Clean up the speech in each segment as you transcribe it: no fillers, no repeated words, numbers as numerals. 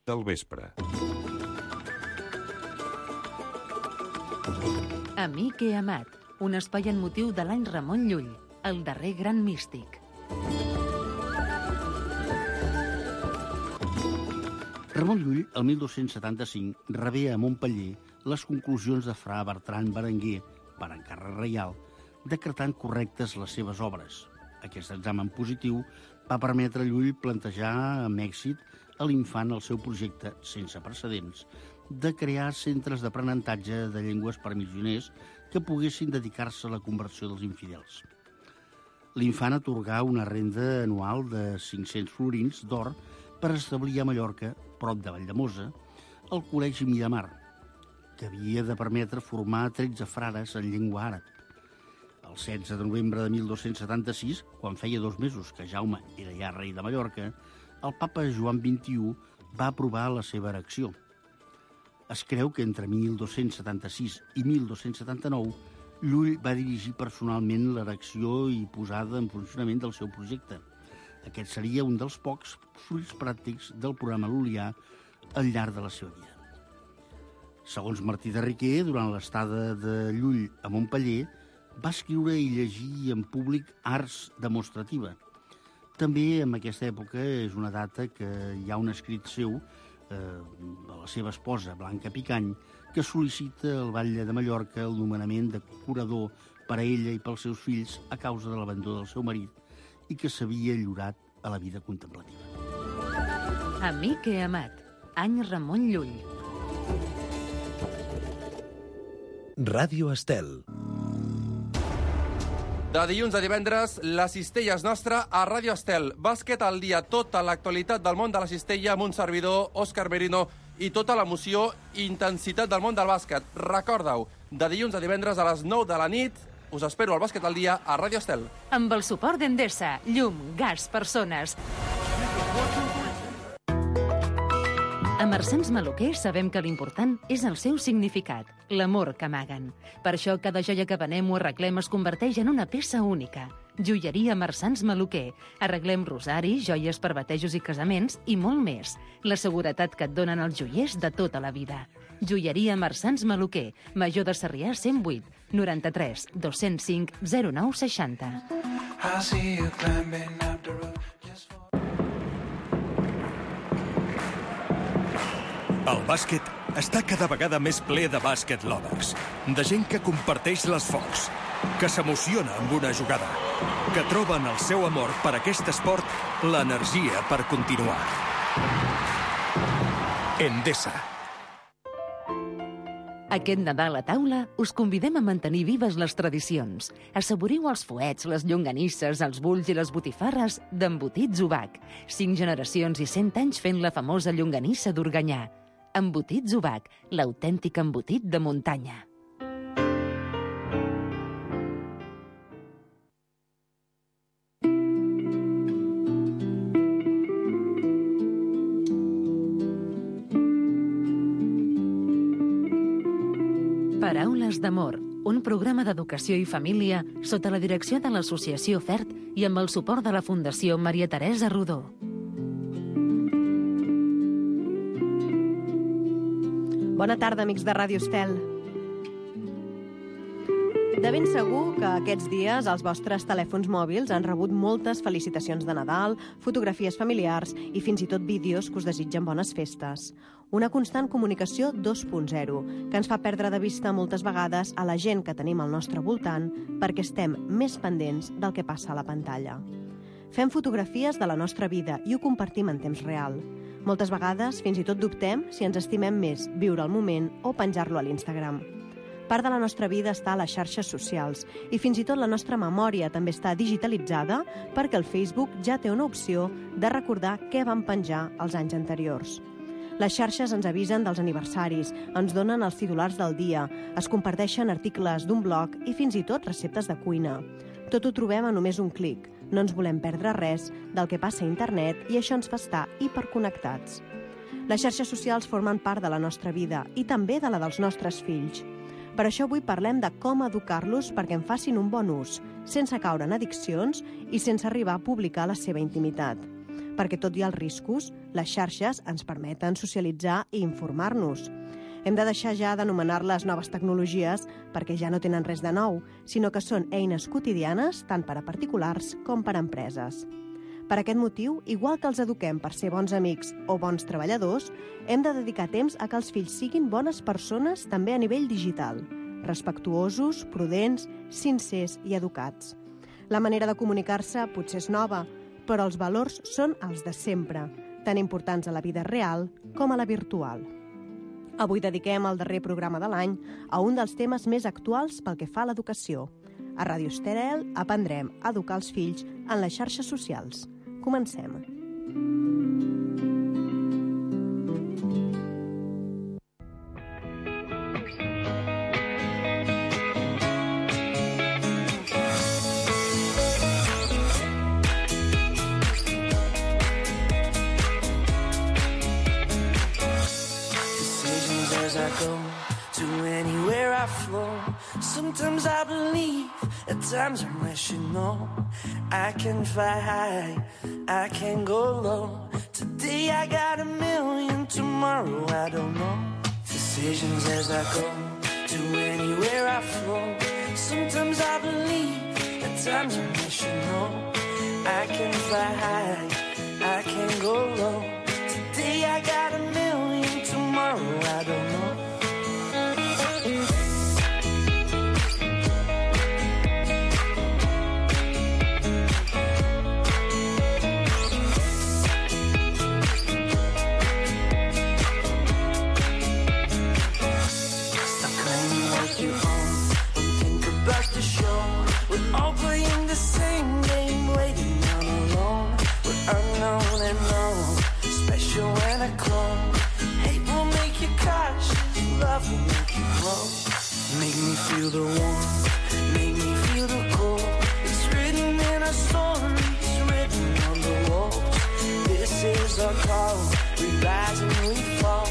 del vespre. Amic i amat, un espai en motiu de l'any Ramon Llull, el darrer gran místic. Ramon Llull, el 1275, rebé a Montpeller les conclusions de fra Bertran Berenguer, per encàrrec reial, decretant correctes les seves obres. Aquest examen positiu va permetre a Llull plantejar amb èxit a l'infant el seu projecte, sense precedents, de crear centres d'aprenentatge de llengües per missioners que poguessin dedicar-se a la conversió dels infidels. L'infant atorgà una renda anual de 500 florins d'or per establir a Mallorca, prop de Valldemossa, el Col·legi Miramar, que havia de permetre formar 13 frares en llengua àrab. El 16 de novembre de 1276, quan feia 2 mesos que Jaume era ja rei de Mallorca, el papa Joan XXI va aprovar la seva erecció. Es creu que entre 1276 i 1279 Llull va dirigir personalment l'erecció i posada en funcionament del seu projecte. Aquest seria un dels pocs fruits pràctics del programa lul·lià al llarg de la seva vida. Segons Martí de Riquer, durant l'estada de Llull a Montpeller, va escriure i llegir en públic arts demostrativa. També en aquesta època és una data que hi ha un escrit seu de la seva esposa, Blanca Picany, que sol·licita al batlle de Mallorca el nomenament de curador per a ella i pels seus fills a causa de l'abandó del seu marit i que s'havia lliurat a la vida contemplativa. Amic i amat, any Ramon Llull. Ràdio Estel. De dilluns a divendres, la cistella és nostra a Ràdio Estel. Bàsquet al dia, tota l'actualitat del món de la cistella amb un servidor, Òscar Merino, i tota l'emoció i intensitat del món del bàsquet. Recorda-ho, de dilluns a divendres a les 9 de la nit, us espero al Bàsquet al dia a Ràdio Estel. Amb el suport d'Endesa, llum, gas, persones. A Marsans Maluquer sabem que l'important és el seu significat, l'amor que amaguen. Per això cada joia que venem o arreglem es converteix en una peça única. Joieria Marsans Maluquer. Arreglem rosaris, joies per batejos i casaments i molt més. La seguretat que et donen els joiers de tota la vida. Joieria Marsans Maluquer. Major de Sarrià 108 93 205 09 60. El bàsquet està cada vegada més ple de bàsquet lovers, de gent que comparteix l'esforç, que s'emociona amb una jugada, que troben el seu amor per aquest esport l'energia per continuar. Endesa. Aquest Nadal a taula us convidem a mantenir vives les tradicions. Assaboriu els fuets, les llonganisses, els bulls i les botifarres d'Embotits Ubac. 5 generacions i 100 anys fent la famosa llonganissa d'Organyà. Embotits Ubac, l'autèntic embotit de muntanya. Paraules d'amor, un programa d'educació i família sota la direcció de l'Associació FERT i amb el suport de la Fundació Maria Teresa Rodó. Bona tarda, amics de Ràdio Estel. De ben segur que aquests dies els vostres telèfons mòbils han rebut moltes felicitacions de Nadal, fotografies familiars i fins i tot vídeos que us desitgen bones festes. Una constant comunicació 2.0 que ens fa perdre de vista moltes vegades a la gent que tenim al nostre voltant perquè estem més pendents del que passa a la pantalla. Fem fotografies de la nostra vida i ho compartim en temps real. Moltes vegades fins i tot dubtem si ens estimem més viure el moment o penjar-lo a l'Instagram. Part de la nostra vida està a les xarxes socials i fins i tot la nostra memòria també està digitalitzada perquè el Facebook ja té una opció de recordar què vam penjar els anys anteriors. Les xarxes ens avisen dels aniversaris, ens donen els titulars del dia, es comparteixen articles d'un blog i fins i tot receptes de cuina. Tot ho trobem a només un clic. No ens volem perdre res del que passa a internet i això ens fa estar hiperconnectats. Les xarxes socials formen part de la nostra vida i també de la dels nostres fills. Per això avui parlem de com educar-los perquè en facin un bon ús, sense caure en addiccions i sense arribar a publicar la seva intimitat. perquè tot i els riscos, les xarxes ens permeten socialitzar i informar-nos. Hem de deixar ja d'anomenar-les noves tecnologies perquè ja no tenen res de nou, sinó que són eines quotidianes tant per a particulars com per a empreses. Per aquest motiu, igual que els eduquem per ser bons amics o bons treballadors, hem de dedicar temps a que els fills siguin bones persones també a nivell digital, respectuosos, prudents, sincers i educats. La manera de comunicar-se potser és nova, però els valors són els de sempre, tan importants a la vida real com a la virtual. Avui dediquem el darrer programa de l'any a un dels temes més actuals pel que fa a l'educació. A Ràdio Estel aprendrem a educar els fills en les xarxes socials. Comencem. Sometimes I believe, at times I'm rational. I can fly high, I can go low. Today I got a million, tomorrow I don't know. Decisions as I go, to anywhere I flow. Sometimes I believe, at times I'm rational. I can fly high, I can go low. Today I got a million, tomorrow I don't know. Make me feel the warmth, make me feel the cold. It's written in our stories, written on the walls. This is our call, we rise and we fall.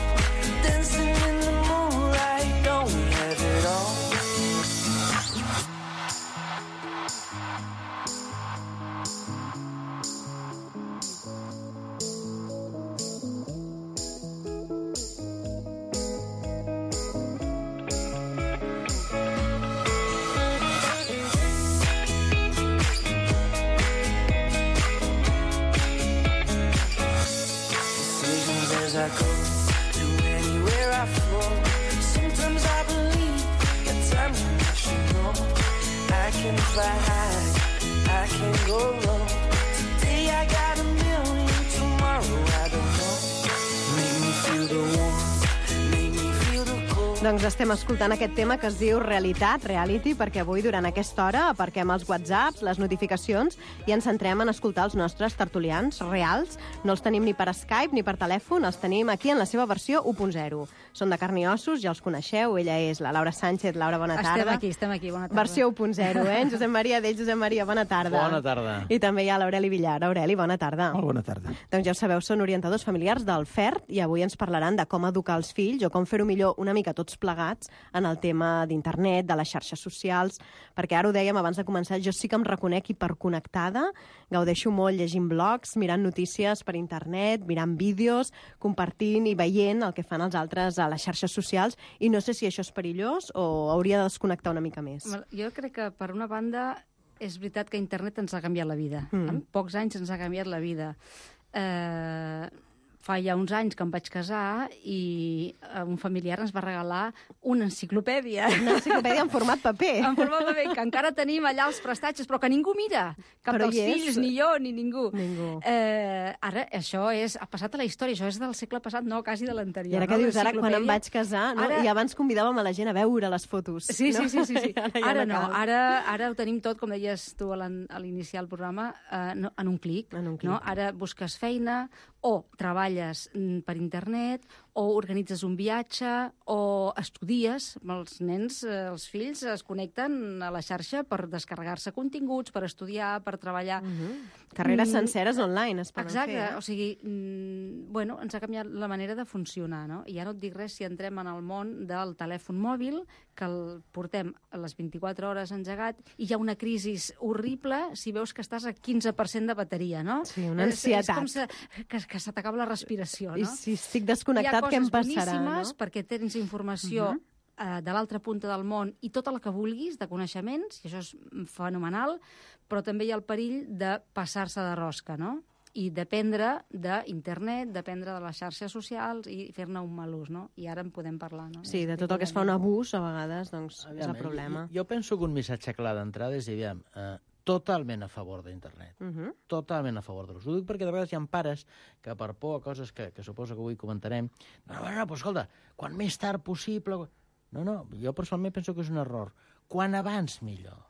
Dancing in the moonlight, don't we have it all? I go to anywhere I flow. Sometimes I believe, at times I'm rational. I can fly high, I can go low. Today I got a million, tomorrow I don't know. Make me feel the warmth, make me feel the cold. Doncs estem escoltant aquest tema que es diu Realitat, Reality, perquè avui, durant aquesta hora, aparquem els whatsapps, les notificacions, i ens centrem en escoltar els nostres tertulians reals. No els tenim ni per Skype ni per telèfon, els tenim aquí en la seva versió 1.0. Són de carn i ossos, ja els coneixeu. Ella és la Laura Sánchez. Laura, bona tarda. Estem aquí, bona tarda. Versió 1.0, eh? Josep Maria Dell. Josep Maria, bona tarda. Bona tarda. I també hi ha l'Aureli Villar. Aureli, bona tarda. Molt bona tarda. Doncs ja ho sabeu, són orientadors familiars del FERT i avui ens parlaran de com educar els fills o com fer-ho millor una mica tots plegats en el tema d'internet, de les xarxes socials, perquè ara ho dèiem abans de començar, jo sí que em reconec hiperconnectada, gaudeixo molt llegint blogs, mirant notícies per internet, mirant vídeos, compartint i veient el que fan els altres a les xarxes socials, i no sé si això és perillós o hauria de desconnectar una mica més. Jo crec que, per una banda, és veritat que internet ens ha canviat la vida. En pocs anys ens ha canviat la vida. Fa ja uns anys que em vaig casar i un familiar ens va regalar una enciclopèdia. Una enciclopèdia en format paper. En format paper, que encara tenim allà els prestatges, però que ningú mira. Cap dels fills, ni jo, ni ningú. Ara, això ha passat a la història, això és del segle passat, no, quasi de l'anterior. I ara que dius, ara quan em vaig casar, no? I abans convidàvem a la gent a veure les fotos. Sí. Ara no, ara ho tenim tot, com deies tu a l'iniciar el programa, en un clic. Ara busques feina, o treballes per internet, o organitzes un viatge, o estudies. Els nens, els fills, es connecten a la xarxa per descarregar-se continguts, per estudiar, per treballar. Carreres senceres online es poden fer. Exacte, o sigui, bueno, ens ha canviat la manera de funcionar, no? I ja no et dic res si entrem en el món del telèfon mòbil, que el portem a les 24 hores engegat, i hi ha una crisi horrible si veus que estàs a 15% de bateria, no? Sí, una ansietat. És com que se t'acaba la respiració, no? I si estic desconnectat, què em passarà? Hi ha coses boníssimes perquè tens informació de l'altra punta del món i tota la que vulguis, de coneixements, i això és fenomenal, però també hi ha el perill de passar-se de rosca, no? I dependre d'internet, dependre de les xarxes socials i fer-ne un mal ús, no? I ara en podem parlar, no? Sí, de tot el que es fa un abús, a vegades, doncs, és el problema. Jo penso que un missatge clar d'entrada és dir, aviam, totalment a favor d'internet. Totalment a favor de l'ús. Ho dic perquè de vegades hi ha pares que per por a coses que suposo que avui comentarem, no, però escolta, quan més tard possible... No, jo personalment penso que és un error. Quan abans, millor.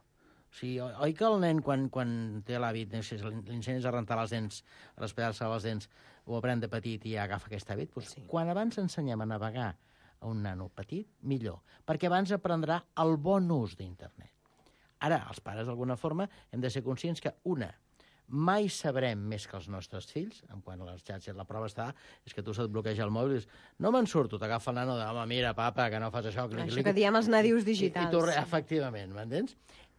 O sigui, oi que el nen, quan té l'hàbit, l'incendis a rentar les dents, a raspallar-se les dents, ho aprèn de petit i ja agafa aquest hàbit? Doncs quan abans ensenyem a navegar a un nano petit, millor. Perquè abans aprendrà el bon ús d'internet. Ara, els pares, d'alguna forma, hem de ser conscients que, mai sabrem més que els nostres fills, en quant a les xarxes. La prova és que tu se't bloqueja el mòbil i dius, no me'n surto, t'agafa el nano de, home, mira, papa, que no fas això. Això que diem els nadius digitals. Efectivament, m'entens?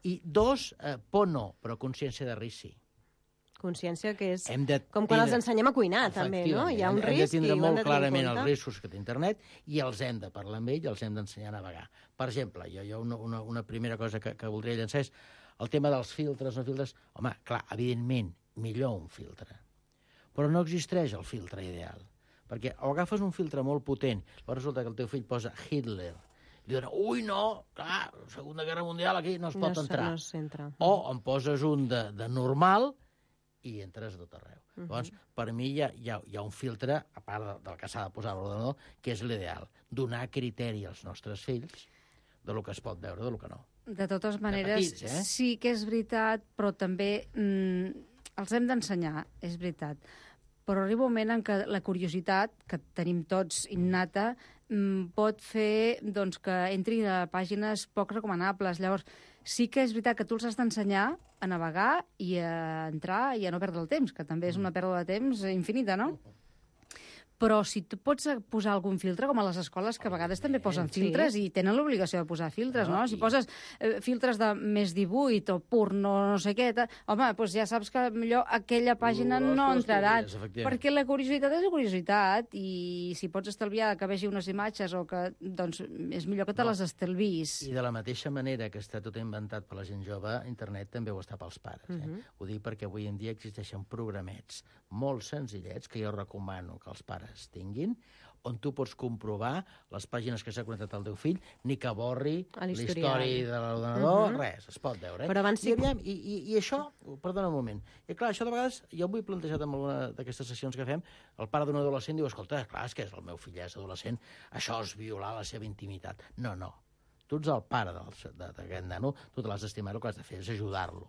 I 2, por no, però consciència de risc sí. Consciència que és com quan els ensenyem a cuinar, també, no? Hi ha un risc i ho hem de tenir en compte. Hem de tindre molt clarament els riscos que té internet i els hem de parlar amb ell i els hem d'ensenyar a navegar. Per exemple, jo una primera cosa que voldria llançar és el tema dels filtres, no filtres. Home, clar, evidentment, millor un filtre. Però no existeix el filtre ideal. Perquè o agafes un filtre molt potent, però resulta que el teu fill posa Hitler, i diuen, ui, no, clar, Segona Guerra Mundial aquí no es pot entrar. O em poses un de normal i entres a tot arreu. Llavors, per mi hi ha un filtre, a part del que s'ha de posar a l'ordenador, que és l'ideal. Donar criteri als nostres fills de lo que es pot veure, de lo que no. De totes maneres, sí que és veritat, però també els hem d'ensenyar, és veritat. Però arriba un moment en què la curiositat, que tenim tots innata, pot fer que entri a pàgines poc recomanables. Llavors, sí que és veritat que tu els has d'ensenyar a navegar i a entrar i a no perdre el temps, que també és una pèrdua de temps infinita, no? Però si tu pots posar algun filtre, com a les escoles, que a vegades també posen filtres i tenen l'obligació de posar filtres, no? Si poses filtres de més 18 o porno, no sé què, home, doncs ja saps que millor aquella pàgina no entraran, perquè la curiositat és la curiositat, i si pots estalviar que vegi unes imatges o que, doncs, és millor que te les estalvis. I de la mateixa manera que està tot inventat per la gent jove, internet també ho està pels pares. Ho dic perquè avui en dia existeixen programets molt senzillets que jo recomano que els pares tinguin, on tu pots comprovar les pàgines que s'ha connectat al teu fill, ni que borri l'història de l'ordenador, res, es pot veure. Però abans sí... I això, perdona un moment, i clar, això de vegades, jo m'ho he plantejat en alguna d'aquestes sessions que fem, el pare d'un adolescent diu, escolta, clar, és que el meu fill és adolescent, això és violar la seva intimitat. No. Tu ets el pare d'aquest nano, tu te l'has d'estimar, el que has de fer és ajudar-lo.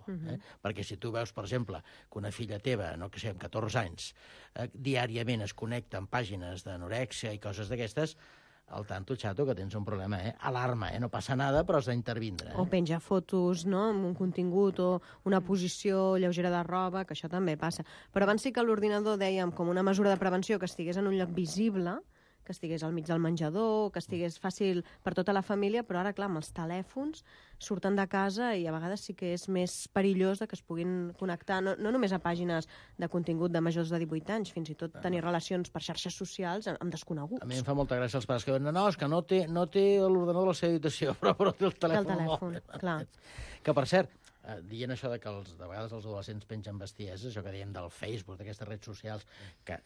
Perquè si tu veus, per exemple, que una filla teva, no que sé, amb 14 anys, diàriament es connecta amb pàgines d'anorèxia i coses d'aquestes, al tanto, xato, que tens un problema, alarma, no passa nada, però has d'intervindre. O penjar fotos, no?, amb un contingut o una posició lleugera de roba, que això també passa. Però abans sí que l'ordinador, dèiem, com una mesura de prevenció, que estigués en un lloc visible, que estigués al mig del menjador, que estigués fàcil per tota la família, però ara, clar, amb els telèfons surten de casa i a vegades sí que és més perillós que es puguin connectar, no només a pàgines de contingut de majors de 18 anys, fins i tot tenir relacions per xarxes socials amb desconeguts. A mi em fa molta gràcia els pares que diuen, no, és que no té l'ordenador a la seva habitació, però té el telèfon mòbil. Clar. Que, per cert, dient això de que de vegades els adolescents pengen bestieses, això que dèiem del Facebook, d'aquestes redes socials, que,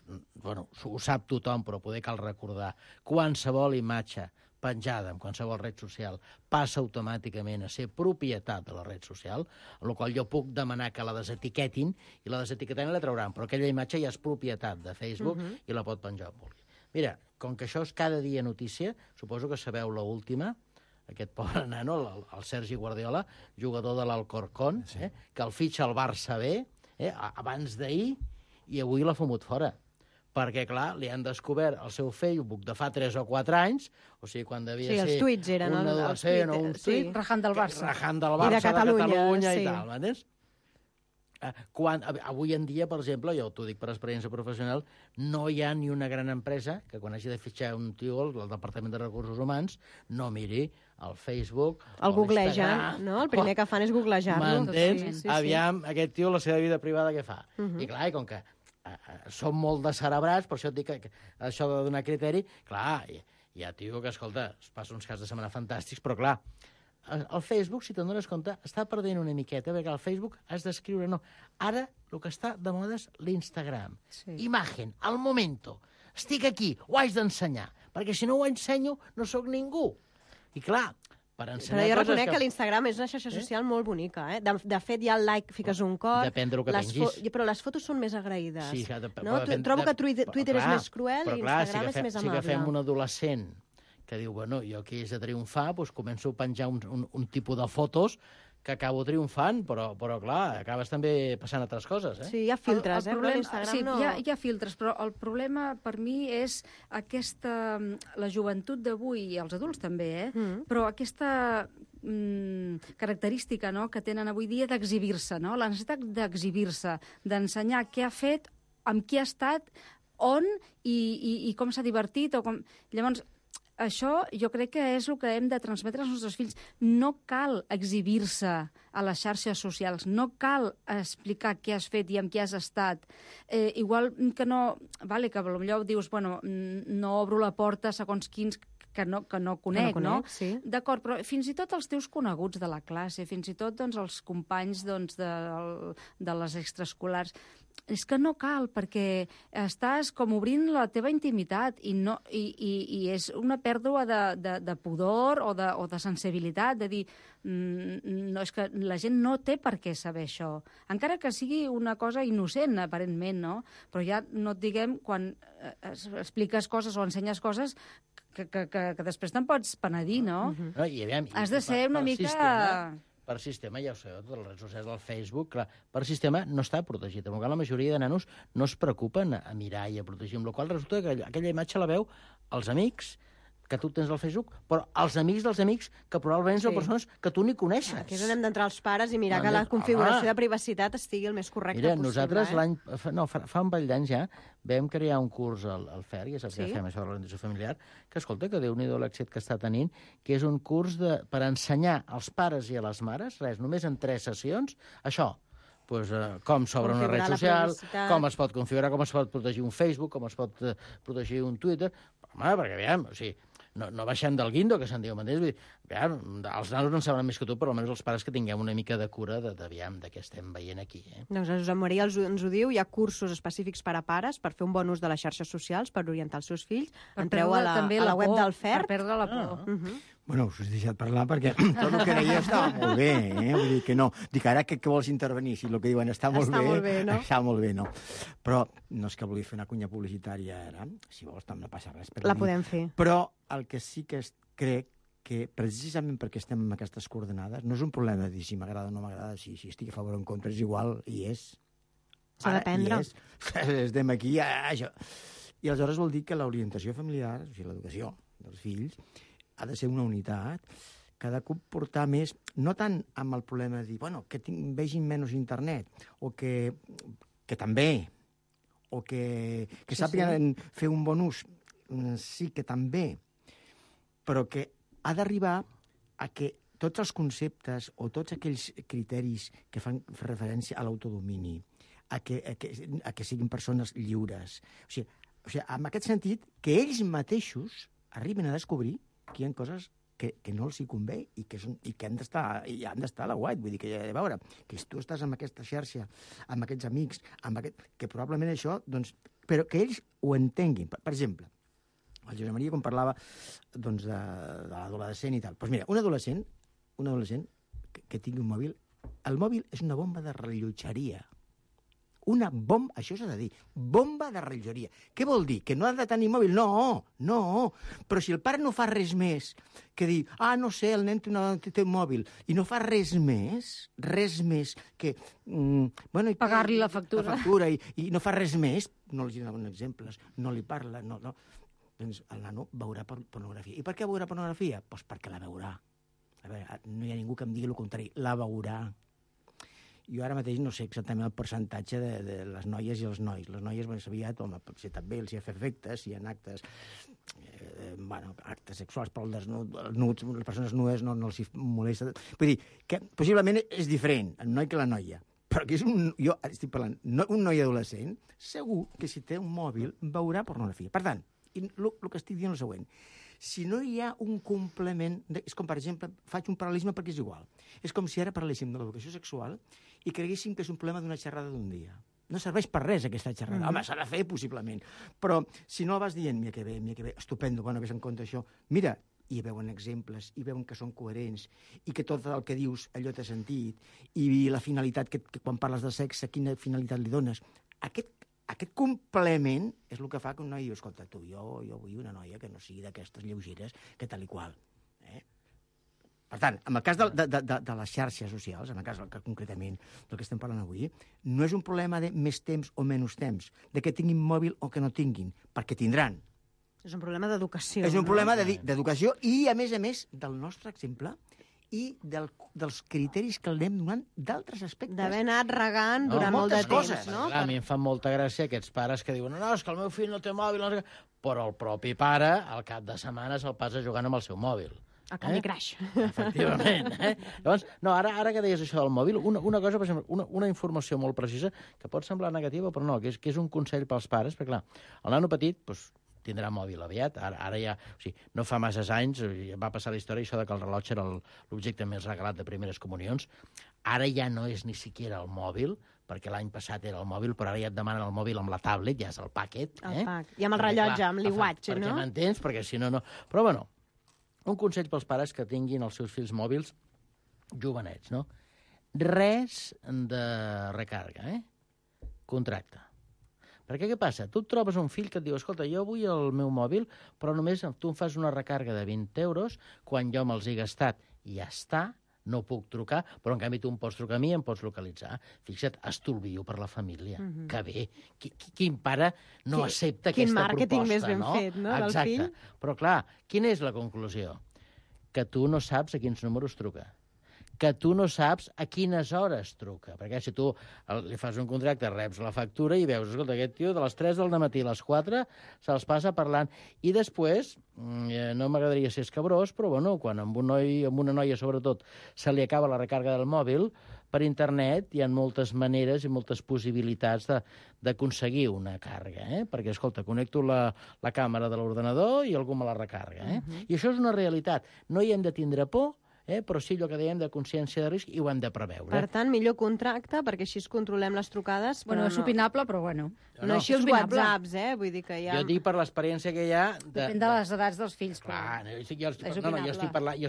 bueno, ho sap tothom, però poder cal recordar, qualsevol imatge penjada en qualsevol red social passa automàticament a ser propietat de la red social, amb la qual jo puc demanar que la desetiquetin, i la desetiquetant la trauran, però aquella imatge ja és propietat de Facebook i la pot penjar on vulgui. Mira, com que això és cada dia notícia, suposo que sabeu l'última, aquest pobre nano, el Sergi Guardiola, jugador de l'Alcorcón, que el fitxa al Barça B, abans d'ahir, i avui l'ha fumut fora. perquè, clar, li han descobert el seu Facebook de fa 3 o 4 anys, o sigui, quan devia ser els tuits eren un adolescent o un tuit... Rajant del Barça. Rajant del Barça, de Catalunya i tal, m'entens? Avui en dia, per exemple, jo t'ho dic per experiència professional, no hi ha ni una gran empresa que quan hagi de fitxar un tio al Departament de Recursos Humans no miri el Facebook, el googlegen, no? El primer que fan és googlejar-lo. M'entens? Aviam, aquest tio, la seva vida privada, què fa? I clar, com que som molt descerebrats, per això et dic que això de donar criteri, clar, hi ha tio que, escolta, es passa uns caps de setmana fantàstics, però clar, el Facebook, si te'n dones compte, està perdent una miqueta, perquè al Facebook has d'escriure, no. Ara, el que està de moda és l'Instagram. Sí. Imagen, al momento. Estic aquí, ho haig d'ensenyar, perquè si no ho ensenyo, no sóc ningú. I clar, per ensenyar però jo reconec que l'Instagram és una xarxa social molt bonica. De fet, ja el like fiques un cop. Depèn del que pengis. Però les fotos són més agraïdes. Sí, no? Trobo que Twitter és més cruel i Instagram és més amable. Si agafem un adolescent que diu, bueno, jo aquí és de triomfar, doncs començo a penjar un tipus de fotos que acabo triomfant, però clar, acabes també passant altres coses, eh? Sí, hi ha filtres, però l'Instagram no... Sí, hi ha filtres, però el problema per mi és la joventut d'avui, i els adults també, però aquesta característica, no?, que tenen avui dia d'exhibir-se, no?, la necessitat d'exhibir-se, d'ensenyar què ha fet, amb qui ha estat, on i com s'ha divertit, o com... Llavors, això jo crec que és el que hem de transmetre als nostres fills. No cal exhibir-se a les xarxes socials, no cal explicar què has fet i amb qui has estat. Igual que no... Vale, que potser dius, bueno, no obro la porta segons quins que no conec, no? Sí. D'acord, però fins i tot els teus coneguts de la classe, fins i tot doncs, els companys doncs, de les extraescolars, és que no cal, perquè estàs com obrint la teva intimitat i és una pèrdua de pudor o de sensibilitat, de dir, no, és que la gent no té per què saber això. Encara que sigui una cosa innocent, aparentment, no? Però ja no et diguem quan expliques coses o ensenyes coses que després te'n pots penedir, no? Has de ser una mica... Per sistema, ja ho sabeu, totes les redes socials del Facebook, clar, per sistema no està protegit. En la majoria de nanos no es preocupen a mirar i a protegir, amb la qual resulta que aquella imatge la veu els amics que tu tens al Facebook, però els amics dels amics que probablement són persones que tu ni coneixes. Aquí és on hem d'entrar els pares i mirar que la configuració de privacitat estigui el més correcte possible. Mira, nosaltres fa un parell d'anys ja vam crear un curs al FER, ja saps que fem això de l'orientació familiar, que escolta, que Déu-n'hi-do l'èxit que està tenint, que és un curs per ensenyar als pares i a les mares, només en 3 sessions, això, com s'obre una red social, com es pot configurar, com es pot protegir un Facebook, com es pot protegir un Twitter. Home, perquè, aviam, o sigui, no baixem del guindo, que se'n diu, m'entens? Els nanos no en saben més que tu, però almenys els pares que tinguem una mica de cura de què estem veient aquí. Doncs Josep Maria ens ho diu, hi ha cursos específics per a pares per fer un bon ús de les xarxes socials, per orientar els seus fills. Entreu a la web del FER. Per perdre la por. Bueno, us he deixat parlar perquè tot el que deia estava molt bé, Vull dir que no. Dic, ara que vols intervenir? Si el que diuen està molt bé, no? Està molt bé, no? Però no és que vulgui fer una cunya publicitària ara. Si vols, no passa res. La podem fer. Però el que sí que crec que precisament perquè estem en aquestes coordenades no és un problema de dir si m'agrada o no m'agrada, si estic a favor o en contra, és igual, i és. S'ha d'aprendre. Estem aquí, això. I aleshores vol dir que l'orientació familiar, o sigui, l'educació dels fills, ha de ser una unitat, que ha de comportar més, no tant amb el problema de dir, bueno, que vegin menys internet, o que també, o que sàpiguen fer un bon ús, sí que també, però que ha d'arribar a que tots els conceptes o tots aquells criteris que fan referència a l'autodomini, a que siguin persones lliures, o sigui, en aquest sentit, que ells mateixos arriben a descobrir que hi ha coses que no els hi convé i que han d'estar a la white. Vull dir que, a veure, que si tu estàs amb aquesta xarxa, amb aquests amics, que probablement això, doncs, però que ells ho entenguin. Per exemple, el Josep Maria, quan parlava doncs, de l'adolescent i tal, doncs mira, un adolescent que tingui un mòbil, el mòbil és una bomba de rellotgeria. una bomba, això s'ha de dir, bomba de rellotgeria. Què vol dir? Que no ha de tenir mòbil? No. Però si el pare no fa res més que dir, no sé, el nen té un mòbil, i no fa res més que... pagar-li la factura. I no fa res més, no els donen exemples, no li parla, no. Doncs el nano veurà pornografia. I per què veurà pornografia? Doncs perquè la veurà. A veure, no hi ha ningú que em digui el contrari. La veurà. Jo ara mateix no sé exactament el percentatge de les noies i els nois. Les noies, aviat, potser també els hi fa efectes, si hi ha actes, actes sexuals, però les persones nudes no els hi molesta. Vull dir, que possiblement és diferent el noi que la noia. Però que jo estic parlant, un noi adolescent, segur que si té un mòbil veurà pornografia. Per tant, el que estic dient és el següent. Si no hi ha un complement... És com, per exemple, faig un paral·lelisme perquè és igual. És com si ara parléssim de l'educació sexual i creguéssim que és un problema d'una xerrada d'un dia. No serveix per res, aquesta xerrada. Home, s'ha de fer, possiblement. Però si no vas dient, mira que bé, estupendo, vés en compte això. Mira, i veuen exemples, i veuen que són coherents, i que tot el que dius allò té sentit, i la finalitat, que quan parles de sexe, quina finalitat li dones. Aquest complement és el que fa que un noi diu, escolta, jo vull una noia que no sigui d'aquestes lleugeres que tal i qual. Per tant, en el cas de les xarxes socials, en el cas concretament del que estem parlant avui, no és un problema de més temps o menys temps, de que tinguin mòbil o que no tinguin, perquè tindran. És un problema d'educació. És un problema d'educació i, a més, del nostre exemple i dels criteris que el anem donant d'altres aspectes. D'haver anat regant durant molt de temps, no? A mi em fan molta gràcia aquests pares que diuen és que el meu fill no té mòbil, però el propi pare, al cap de setmana, se'l passa jugant amb el seu mòbil. A Candy Crush. Efectivament. Llavors, ara que deies això del mòbil, una cosa, per exemple, una informació molt precisa, que pot semblar negativa, però no, que és un consell pels pares, perquè, clar, el nano petit, doncs, tindrà mòbil aviat. Ara ja... O sigui, no fa masses anys va passar la història això de que el rellotge era l'objecte més regalat de primeres comunions. Ara ja no és ni siquiera el mòbil, perquè l'any passat era el mòbil, però ara ja et demanen el mòbil amb la tablet, ja és el paquet. El pack. I amb el rellotge, amb l'iWatch, no? Perquè m'entens? Perquè si no, no... Però, bueno, un consell pels pares que tinguin els seus fills mòbils jovenets, no? Res de recàrrega, Contracte. Perquè què passa? Tu et trobes un fill que et diu escolta, jo vull el meu mòbil, però només tu em fas una recàrrega de 20 euros, quan jo me'ls he gastat i ja està, no puc trucar, però en canvi tu em pots trucar a mi i em pots localitzar. Fixa't, estalvio per la família. Que bé. Quin pare no accepta aquesta proposta, no? Quin màrqueting més ben fet, no, del fill? Exacte. Però clar, quina és la conclusió? Que tu no saps a quins números truca. Que tu no saps a quines hores truca. Perquè si tu li fas un contracte, reps la factura i veus, escolta, aquest tio de les 3 del matí a les 4 se'ls passa parlant. I després, no m'agradaria ser escabrós, però bueno, quan amb un noi, amb una noia sobretot, se li acaba la recàrrega del mòbil, per internet hi ha moltes maneres i moltes possibilitats d'aconseguir una càrrega, perquè, escolta, connecto la càmera de l'ordenador i algú me la recàrrega. I això és una realitat. No hi hem de tindre por, però sí allò que dèiem de consciència de risc i ho hem de preveure. Per tant, millor contracte, perquè així es controlem les trucades. Bueno, és opinable, però bueno. No així els WhatsApps, vull dir que ja... Jo dic per l'experiència que hi ha... Depèn de les edats dels fills. Clar, jo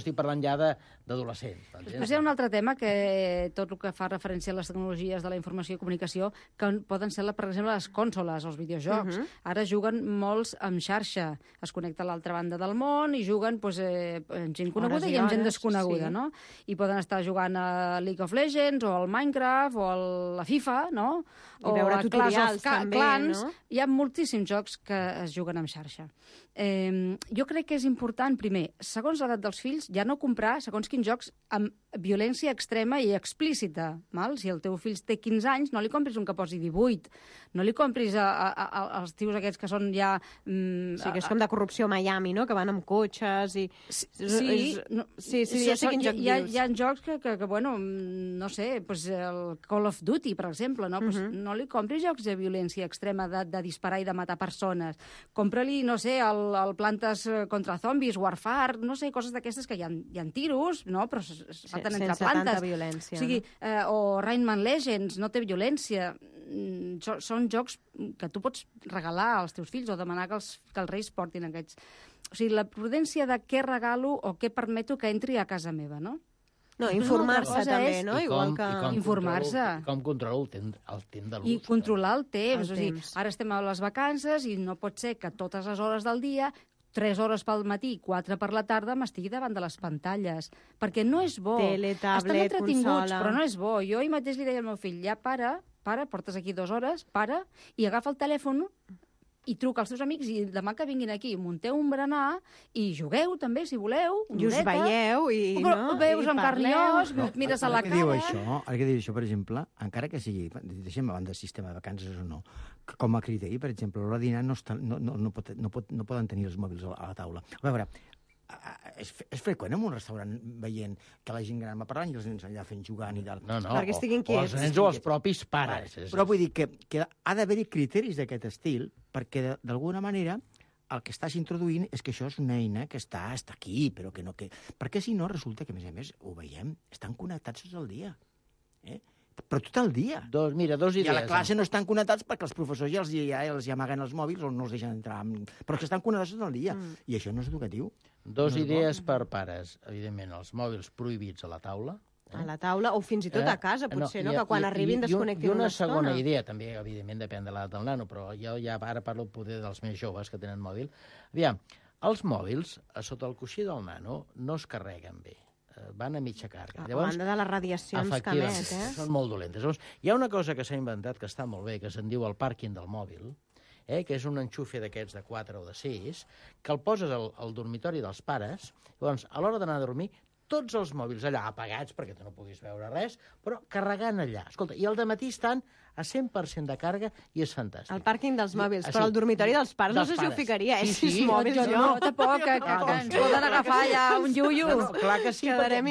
estic parlant ja d'adolescents. Després hi ha un altre tema, que tot el que fa referència a les tecnologies de la informació i comunicació, que poden ser, per exemple, les consoles, els videojocs. Ara juguen molts amb xarxa. Es connecta a l'altra banda del món i juguen amb gent coneguda i amb gent desconeguda, no? I poden estar jugant a League of Legends o al Minecraft o a la FIFA, no? I veure tutorials també, no? Hi ha moltíssims jocs que es juguen amb xarxa. Jo crec que és important, primer, segons l'edat dels fills, ja no comprar segons quins jocs amb violència extrema i explícita. Si el teu fill té 15 anys, no li compris un que posi 18. No li compris als tios aquests que són ja... Sí, que és com de corrupció a Miami, no? Que van amb cotxes i... Sí, ja sé quin joc dius. Hi ha jocs que bueno, no sé, el Call of Duty, per exemple, no? No li compris jocs de violència extrema, de disparar i de matar persones. Compra-li, no sé, el Plantes contra Zombis, Warfare, no sé, coses d'aquestes que hi ha tiros, no? Però es maten entre plantes. Sense tanta violència. O sigui, o Rayman Legends, no té violència. Són jocs que tu pots regalar als teus fills o demanar que els reis portin aquests. O sigui, la prudència de què regalo o què permeto que entri a casa meva, no? No, informar-se també, no? Igual que... Informar-se. Com controlar el temps de l'ús. I controlar el temps. O sigui, ara estem a les vacances i no pot ser que totes les hores del dia 3 hores pel matí i 4 per la tarda m'estigui davant de les pantalles. Perquè no és bo. Tele, tablet, estan entretinguts, consola... però no és bo. Jo ahir mateix li deia al meu fill, ja para, portes aquí 2 hores, para, i agafa el telèfon i truca als teus amics i demà que vinguin aquí, munteu un berenar i jugueu també, si voleu. I us veieu i... Veus amb carn i os, mires a la cara... Ara que diu això, per exemple, encara que sigui, deixem abans del sistema de vacances o no, com a criteri, per exemple, a l'hora de dinar no poden tenir els mòbils a la taula. A veure, és freqüent en un restaurant veient que la gent gran va parlant i els nens allà fent jugant i tal. No, perquè estiguin o els nens o els propis pares. Però vull dir que ha d'haver-hi criteris d'aquest estil perquè, d'alguna manera, el que estàs introduint és que això és una eina que està aquí, però que no... Perquè si no, resulta que, a més, ho veiem, estan connectats tot el dia. Però tot el dia. Dos idees. I a la classe no estan connectats perquè els professors ja els amaguen els mòbils o no els deixen entrar. Però que estan connectats tot el dia. I això no és educatiu. 2 idees per pares. Evidentment, els mòbils prohibits a la taula. A la taula o fins i tot a casa, potser, no? Que quan arribin desconnectin una estona. I una segona idea, també, evidentment, depèn de l'edat del nano, però jo ja ara parlo poder dels més joves que tenen mòbil. Aviam, els mòbils, sota el coixí del nano, no es carreguen bé. Van a mitja càrrega. A banda de les radiacions que emet, són molt dolentes. Llavors, hi ha una cosa que s'ha inventat que està molt bé, que se'n diu el pàrquing del mòbil, que és un enxufe d'aquests de 4 o de 6, que el poses al dormitori dels pares, llavors, a l'hora d'anar a dormir, tots els mòbils allà apagats, perquè tu no puguis veure res, però carregant allà. Escolta, i al dematí estan a 100% de càrrega i és fantàstic. El pàrquing dels mòbils, però el dormitori dels pares no sé si ho ficaria, Sí, 6 mòbils, jo. No, tampoc, que ens poden agafar ja un iuiu. Clar que sí, perquè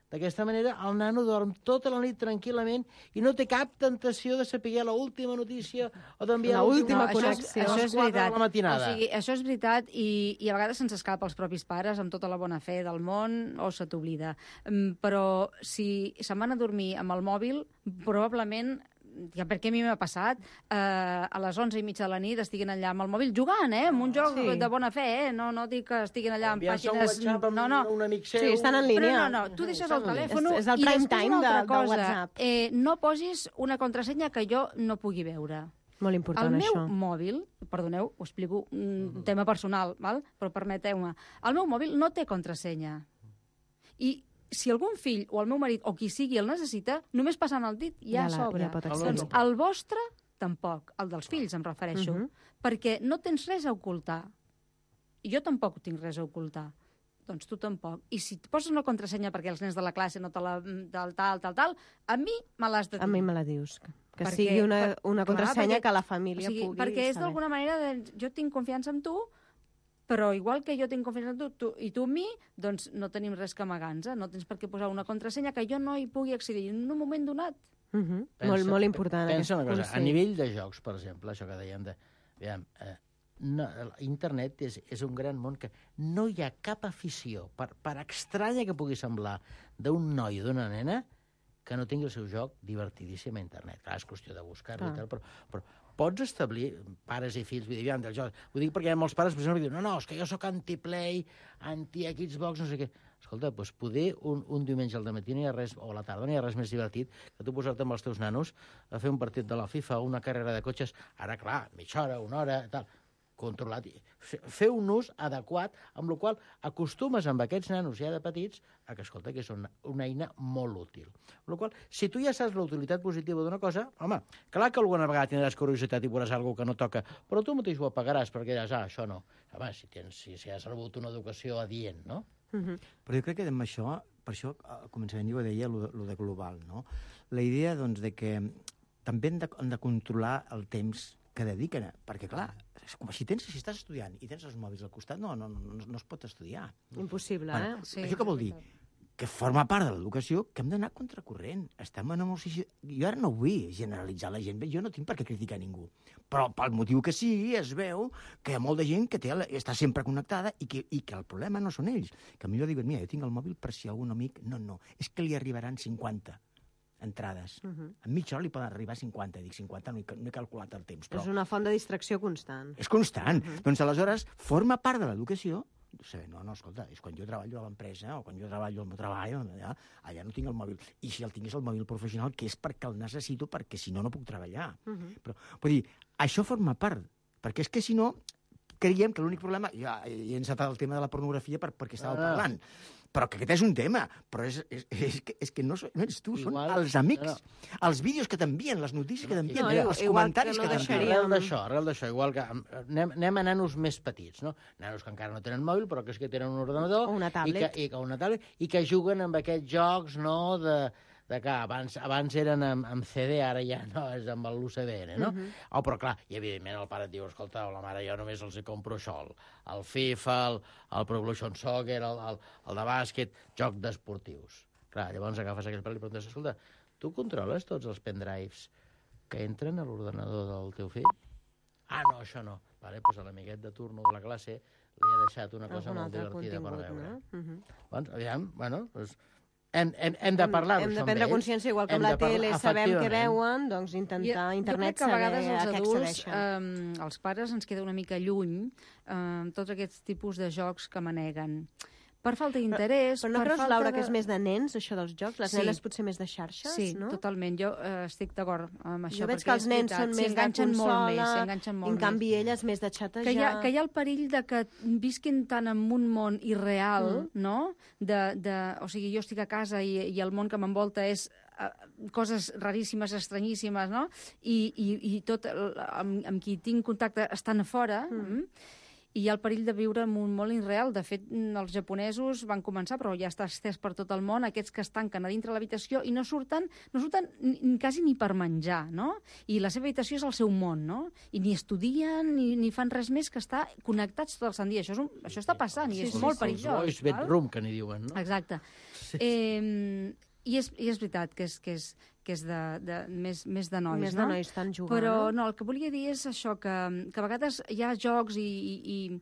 d'aquesta manera el nano dorm tota la nit tranquil·lament i no té cap tentació de saber l'última notícia o d'enviar l'última connexió. Això és veritat. La matinada. O sigui, això és veritat i a vegades se'ns escapa als propis pares amb tota la bona fe del món o se t'oblida. Però si se'n van a dormir amb el mòbil, probablement perquè a mi m'ha passat, a les 11:30 de la nit estiguin allà amb el mòbil jugant, amb un joc de bona fe, no dic que estiguin allà amb pàgines... un amic seu... Sí, estan en línia. No, tu deixes el telèfon és el prime time de WhatsApp. No posis una contrasenya que jo no pugui veure. Molt important, això. El meu mòbil, perdoneu, ho explico, un tema personal, però permeteu-me, el meu mòbil no té contrasenya. I si algun fill o el meu marit o qui sigui el necessita, només passant el dit ja s'obre. Doncs el vostre tampoc, el dels fills em refereixo, perquè no tens res a ocultar. I jo tampoc tinc res a ocultar. Doncs tu tampoc. I si et poses una contrasenya perquè els nens de la classe no te la... tal, a mi me l'has de dir. A mi me la dius. Que sigui una contrasenya que la família pugui saber. Perquè és d'alguna manera, jo tinc confiança en tu, però igual que jo tinc confiança en tu i tu en mi, doncs no tenim res que amagar-nos. No tens per què posar una contrasenya que jo no hi pugui accedir en un moment donat. Molt important. Pensa una cosa, a nivell de jocs, per exemple, això que dèiem de... Internet és un gran món que no hi ha cap afició, per estranya que pugui semblar, d'un noi o d'una nena que no tingui el seu joc divertidíssim a internet. Clar, és qüestió de buscar-lo i tal, però pots establir, pares i fills, del joc. Ho dic perquè hi ha molts pares que diuen no, és que jo sóc anti-play, anti-Xbox, no sé què. Escolta, doncs poder un diumenge al dematí no hi ha res, o a la tarda no hi ha res més divertit que tu posar-te amb els teus nanos a fer un partit de la FIFA, una carrera de cotxes, ara, clar, mitja hora, una hora, tal, controlat. Fer un ús adequat, amb el qual acostumes amb aquests nanos ja de petits a que, escolta, que és una eina molt útil. Amb la qual, si tu ja saps la utilitat positiva d'una cosa, home, clar que alguna vegada tindràs curiositat i veuràs alguna que no toca, però tu mateix ho apagaràs perquè diràs, això no. Home, si has rebut una educació adient, no? Però jo crec que amb això, per això al començament jo deia lo de global, no? La idea, doncs, de que també hem de controlar el temps que dediquen, perquè, clar, si estàs estudiant i tens els mòbils al costat, no es pot estudiar. Impossible, Sí. Això què vol dir? Que forma part de l'educació que hem d'anar contracorrent. Estem en una situació... Jo ara no vull generalitzar la gent, jo no tinc per què criticar ningú, però pel motiu que sigui es veu que hi ha molta gent que està sempre connectada i que el problema no són ells. Que millor diuen, mira, jo tinc el mòbil per si algun amic... No, és que li arribaran 50 entrades. En mitja hora li poden arribar 50. Dic 50, no he calculat el temps. Però... És una font de distracció constant. És constant. Doncs aleshores forma part de l'educació No, escolta, és quan jo treballo a l'empresa o quan jo treballo al meu treball, allà no tinc el mòbil. I si el tingués el mòbil professional, que és perquè el necessito, perquè si no, no puc treballar. Però, vull dir, això forma part, perquè és que si no, creiem que l'únic problema... Ja he encetat el tema de la pornografia perquè estava parlant, però que aquest és un tema, però és que no ets tu, són els amics, els vídeos que t'envien, les notícies que t'envien, els comentaris que t'envien. Arrel d'això, igual que anem a nanos més petits, no? Nanos que encara no tenen mòbil, però que és que tenen un ordenador... O una tablet. I que juguen amb aquests jocs, no?, de que abans eren amb CD, ara ja no, és amb l'UCDN, no? Però clar, i evidentment el pare et diu, escolta, la mare, jo només els compro això, el FIFA, el Pro Evolution Soccer, el de bàsquet, joc d'esportius. Clar, llavors agafes aquell pare i li preguntes, escolta, tu controles tots els pendrives que entren a l'ordenador del teu fill? Ah, no, això no. Vale, doncs a l'amiguet de turno de la classe li ha deixat una cosa molt divertida per veure. Doncs, aviam, bueno, doncs... Hem de parlar-ho, hem de prendre consciència, igual que amb la tele sabem què veuen, doncs intentar a internet saber a què accedeixen. Jo crec que a vegades els adults, els pares, ens queda una mica lluny tots aquests tipus de jocs que maneguen. Per falta d'interès... Però no creus, Laura, que és més de nens, això dels jocs? Les nenes potser més de xarxes, no? Sí, totalment. Jo estic d'acord amb això. Jo veig que els nens són més de consola, en canvi elles més de xatejar. Que hi ha el perill de que visquin tant en un món irreal, no? O sigui, jo estic a casa i el món que m'envolta és coses raríssimes, estranyíssimes, no? I tot amb qui tinc contacte estan a fora, i hi ha el perill de viure en un món irreal. De fet, els japonesos van començar, però ja està estès per tot el món, aquests que es tanquen a dintre l'habitació i no surten quasi ni per menjar, no? I la seva habitació és el seu món, no? I ni estudien ni fan res més que estar connectats tot el sant dia. Això està passant i és molt perillós. Els boys bedroom, que n'hi diuen, no? Exacte. I és veritat que és més de nois, més de nois estan jugant. Però no, el que volia dir és això, que a vegades hi ha jocs i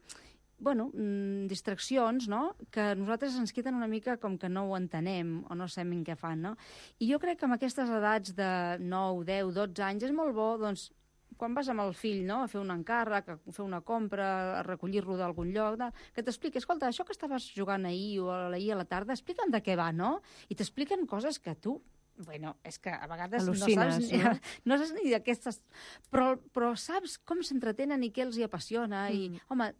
distraccions, no?, que a nosaltres ens queden una mica com que no ho entenem o no sabem què fan, no? I jo crec que amb aquestes edats de 9, 10, 12 anys és molt bo, doncs, quan vas amb el fill, no?, a fer un encàrrec, a fer una compra, a recollir-lo d'algun lloc, que t'expliqui, escolta, això que estaves jugant ahir o ahir a la tarda, explica'm de què va, no? I t'expliquen coses que tu... Bueno, és que a vegades no saps ni d'aquestes... Però saps com s'entretenen i què els hi apassiona i, home,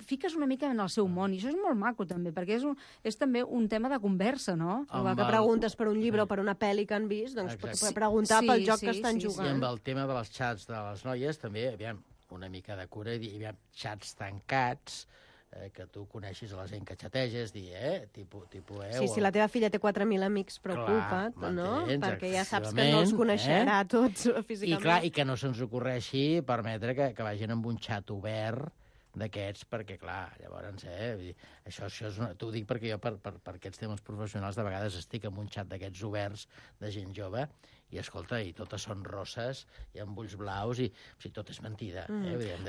fiques una mica en el seu món, i això és molt maco també, perquè és també un tema de conversa, no? Igual que preguntes per un llibre o per una pel·li que han vist, doncs pots preguntar pel joc que estan jugant. I amb el tema de les xats de les noies també, aviam, una mica de cura, i aviam, xats tancats, que tu coneixis a la gent que xateges, tipus... Si la teva filla té 4.000 amics, preocupa't, no? Perquè ja saps que no els coneixerà tots físicament. I que no se'ns ocorreixi permetre que vagin amb un xat obert d'aquests, perquè, clar, llavors, això t'ho dic perquè jo, per aquests temes professionals, de vegades estic en un xat d'aquests oberts de gent jove, i, escolta, i totes són rosses, i amb ulls blaus, i o sigui, tot és mentida.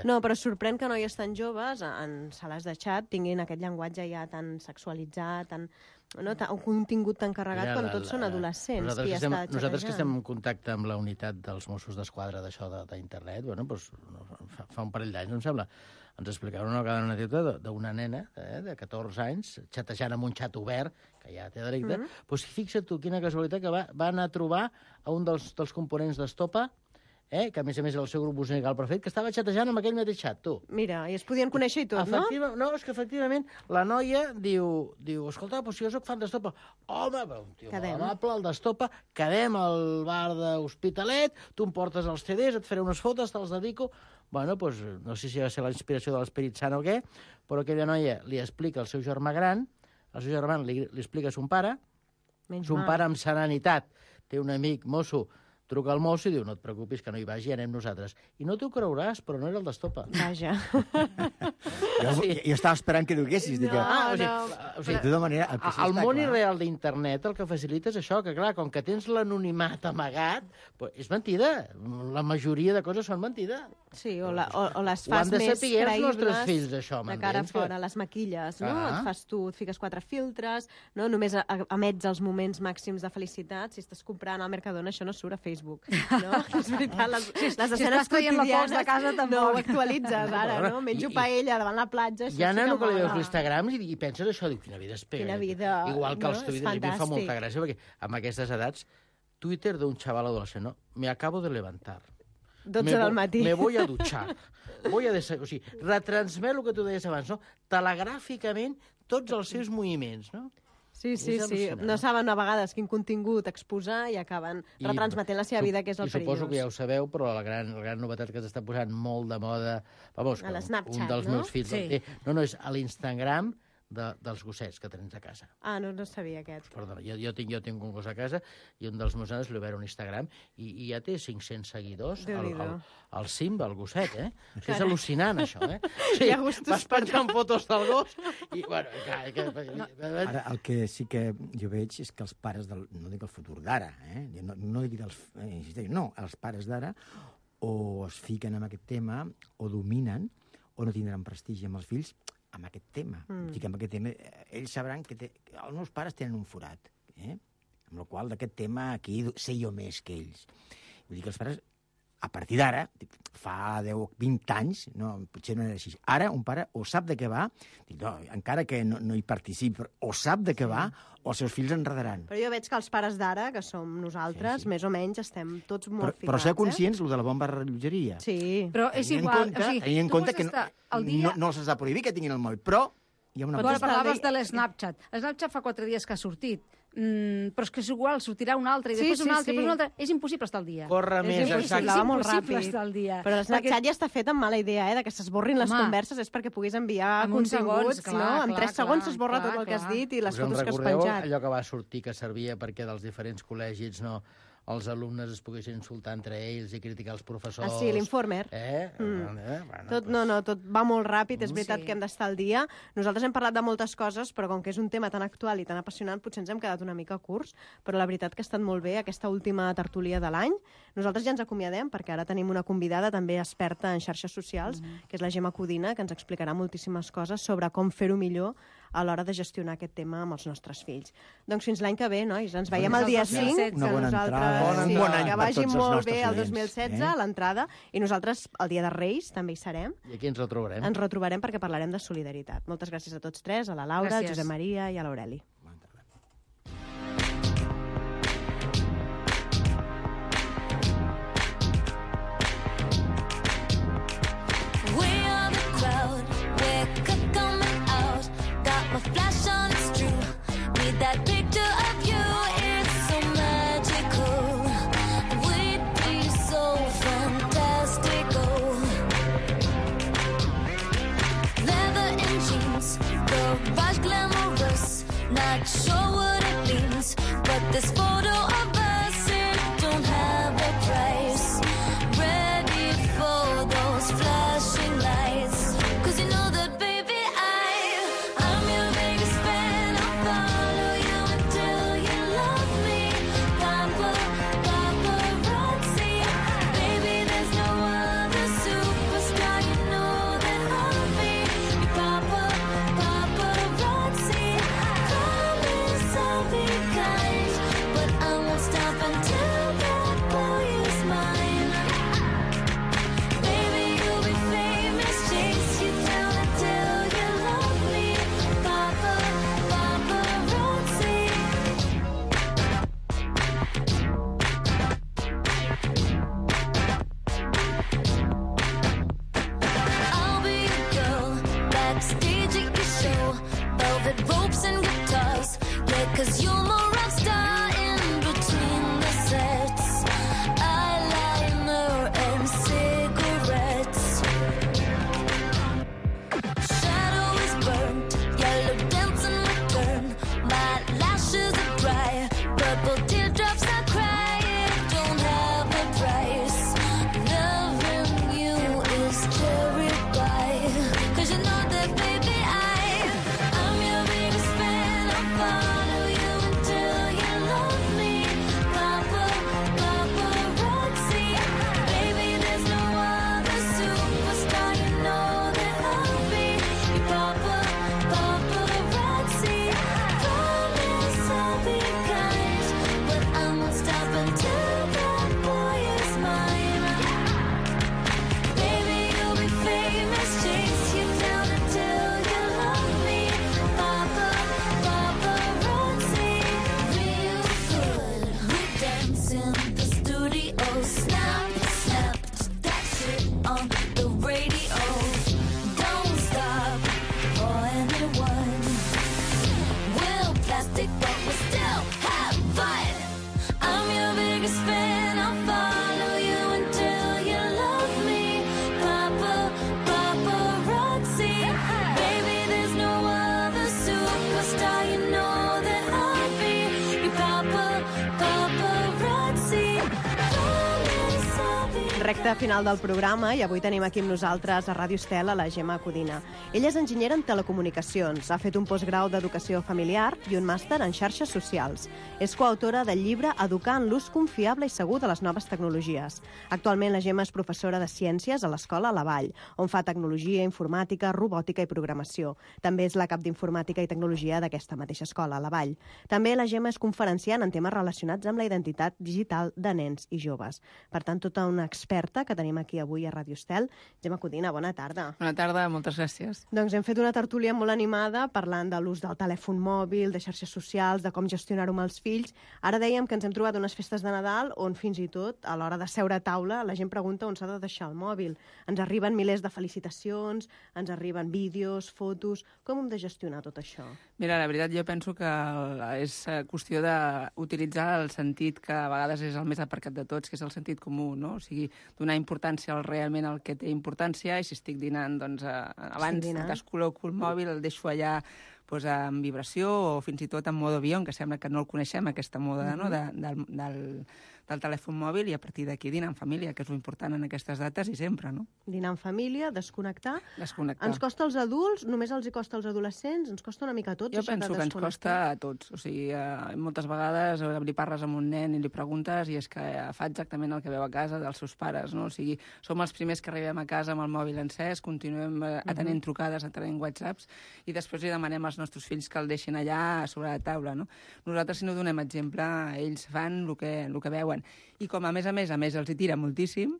No, però sorprèn que noies tan joves, en sales de xat, tinguin aquest llenguatge ja tan sexualitzat, un contingut tan carregat, quan tots són adolescents. Nosaltres que estem en contacte amb la unitat dels Mossos d'Esquadra d'això d'internet, fa un parell d'anys, em sembla, ens explicaven una vegada una anècdota d'una nena de 14 anys, xatejant amb un xat obert, que ja té delicte, doncs fixa't tu, quina casualitat, que va anar a trobar a un dels components d'Estopa, que a més era el seu grup musical preferit, que estava xatejant amb aquell mateix xat, tu. Mira, i es podien conèixer i tot, no? No, és que efectivament la noia diu, escolta, si jo soc fan d'Estopa, home, un tio molt amable, el d'Estopa, quedem al bar d'Hospitalet, tu em portes els CDs, et faré unes fotos, te'ls dedico. Bueno, doncs, no sé si va ser la inspiració de l'Esperit Sant o què, però aquella noia li explica al seu germà gran, el seu germà li explica a son pare, son pare amb serenitat té un amic mosso, truca al mosso i diu, no et preocupis, que no hi vagi, anem nosaltres. I no t'ho creuràs, però no era el d'Estopa. Vaja. Jo estava esperant que duguessis. De tota manera, el món irreal d'internet el que facilita és això, que clar, com que tens l'anonimat amagat, és mentida. La majoria de coses són mentida. Sí, o les Ho han fas de més saber els nostres creïbles fills, això, de cara a m'entens? fora, les maquilles, no? Ah. Et fas tu, et fiques 4 filtres, no? Només emets els moments màxims de felicitat. Si estàs comprant al Mercadona, això no surt a Facebook, no? És veritat, les escenes estàs traient la pols de casa, tampoc. no ho actualitzes ara, no? Menjo paella davant la platja, això Hi ha sí nano que li mola. veus l'Instagram i penses això, diu, quina vida es pega. Quina vida, Igual que no? els És Twitter, a mi em fa fantàstic. molta gràcia, perquè amb aquestes edats, Twitter d'un xaval adolescent, no? Me acabo de levantar. 12 del matí. Me voy a duchar. O sigui, retransmet el que tu deies abans, no? Telegràficament, tots els seus moviments, no? Sí, És sí. al·lucinant. No saben a vegades quin contingut exposar i acaben retransmetent la seva vida, que és el I suposo perillós. que ja ho sabeu, però la gran novetat que s'està posant molt de moda... Vamos, A l'Snapchat, un dels no? meus fills... Sí. No, és a l'Instagram dels gossets que tens a casa. Ah, no sabia aquest. Perdona, jo tinc un gos a casa i un dels meus nanos li va veure un Instagram i ja té 500 seguidors al Simba, el gosset, eh? És al·lucinant, això, eh? Sí, Hi ha gustos vas penjant fotos del gos i, bueno... Ara, el que sí que jo veig és que els pares no dic el futur d'ara, no dic dels... no, els pares d'ara o es fiquen en aquest tema o dominen o no tindran prestigi amb els fills amb aquest tema. Dic, amb aquest tema ells sabran que els meus pares tenen un forat, amb la qual d'aquest tema aquí sé jo més que ells. Vull dir que els pares, a partir d'ara, fa 10 20 anys, no, potser no era així. Ara un pare o sap de què va, dic, no, encara que no hi participi, o sap de què va, o els seus fills enredaran. Però jo veig que els pares d'ara, que som nosaltres, més o menys estem tots molt ficats. Però ser conscients, de la bomba rellotgeria. Sí. Però és igual... Tenint en compte que no se'ls ha prohibit que tinguin el moll, però hi ha una... Però parlaves de l'Snapchat. L'Snapchat fa 4 dies que ha sortit. Però és que és igual, sortirà un altre, i després un altre, i després un altre. És impossible estar al dia. Corre més, impossible, exacte. va molt impossible ràpid. estar al dia. Però l'Snapchat ja està fet amb mala idea, de que s'esborrin les Home, converses, és perquè puguis enviar en uns continguts, segons, clar, no? En 3 segons s'esborra clar, tot el que has clar. dit i les Us en fotos que has recordeu penjat. allò que va sortir que servia perquè dels diferents col·legis els alumnes es poguessin insultar entre ells i criticar els professors? Ah, sí, l'Informer. Bueno, Tot va molt ràpid, és veritat Sí. que hem d'estar al dia. Nosaltres hem parlat de moltes coses, però com que és un tema tan actual i tan apassionant, potser ens hem quedat una mica curts, però la veritat que ha estat molt bé aquesta última tertúlia de l'any. Nosaltres ja ens acomiadem, perquè ara tenim una convidada també experta en xarxes socials, que és la Gemma Codina, que ens explicarà moltíssimes coses sobre com fer-ho millor a l'hora de gestionar aquest tema amb els nostres fills. Doncs fins l'any que ve, nois. Ens veiem el dia 5. Una bona entrada, un bon any que per vagi tots els molt nostres bé el oients, 2016, l'entrada, i nosaltres el dia de Reis també hi serem. I aquí ens retrobarem. Ens retrobarem perquè parlarem de solidaritat. Moltes gràcies a tots tres, a la Laura, a Gràcies. Josep Maria i a l'Aureli. We are the crowd, we're coming out. Got my flash on, it's true. Need that picture of you, it's so magical. We'd be so fantastical. Leather and jeans, garage glamorous. Not sure what it means, but this photo of us, it don't have a price. Ready for those flashing lights. 'Cause you know that, baby, I'm your biggest fan. I'll follow you until you love me. Paparazzi. Baby, there's no other superstar. You know that I'll be your paparazzi. Promise I'll be kind, but I won't stop until that boy is mine. Baby, you'll be famous, chase you down until you love me. Paparazzi. I'll be a girl backstage at your show. Velvet ropes and guitars. Yeah, 'cause you're my rock star in between the sets. Eyeliner and cigarettes. Shadow is burnt, yellow dancing return. My lashes are dry, purple teardrops I cry. It don't have a price. Loving you is cherry pie. 'Cause you know that, baby, I'm your biggest fan. I'll follow you until Recte final del programa i avui tenim aquí amb nosaltres a Ràdio Estel a la Gemma Codina. Ella és enginyera en telecomunicacions, ha fet un postgrau d'educació familiar i un màster en xarxes socials. És coautora del llibre Educar en l'ús confiable i segur de les noves tecnologies. Actualment la Gemma és professora de ciències a l'Escola La Vall, on fa tecnologia, informàtica, robòtica i programació. També és la cap d'informàtica i tecnologia d'aquesta mateixa escola, La Vall. També la Gemma és conferenciant en temes relacionats amb la identitat digital de nens i joves. Per tant, tota una experta que tenim aquí avui a Ràdio Estel. Gemma Codina, bona tarda. Bona tarda, moltes gràcies. Doncs hem fet una tertúlia molt animada parlant de l'ús del telèfon mòbil, de xarxes socials, de com gestionar-ho amb els fills. Ara dèiem que ens hem trobat unes festes de Nadal on fins i tot, a l'hora de seure a taula, la gent pregunta on s'ha de deixar el mòbil. Ens arriben milers de felicitacions, ens arriben vídeos, fotos... Com hem de gestionar tot això? Mira, la veritat, jo penso que és qüestió d'utilitzar el sentit que a vegades és el més aparcat de tots, que és el sentit comú, no? O sigui, donar importància realment al que té importància, i si estic dinant, doncs abans descol·loco el mòbil, el deixo allà doncs, en vibració o fins i tot en mode avió, que sembla que no el coneixem, aquesta moda no? del telèfon mòbil, i a partir d'aquí dinar en família, que és important en aquestes dates i sempre, no? Dinar en família, desconnectar. Desconnectar. Ens costa als adults, només els hi costa als adolescents, ens costa una mica a tots. Jo penso que ens costa a tots. O sigui, moltes vegades li parles amb un nen i li preguntes i és que fa exactament el que veu a casa dels seus pares, no? O sigui, som els primers que arribem a casa amb el mòbil encès, continuem atenent trucades, atenent whatsapps, i després li demanem als nostres fills que el deixin allà sobre la taula, no? Nosaltres, si no donem exemple, ells fan el que veuen. I com a més els hi tira moltíssim,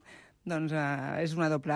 doncs és una doble...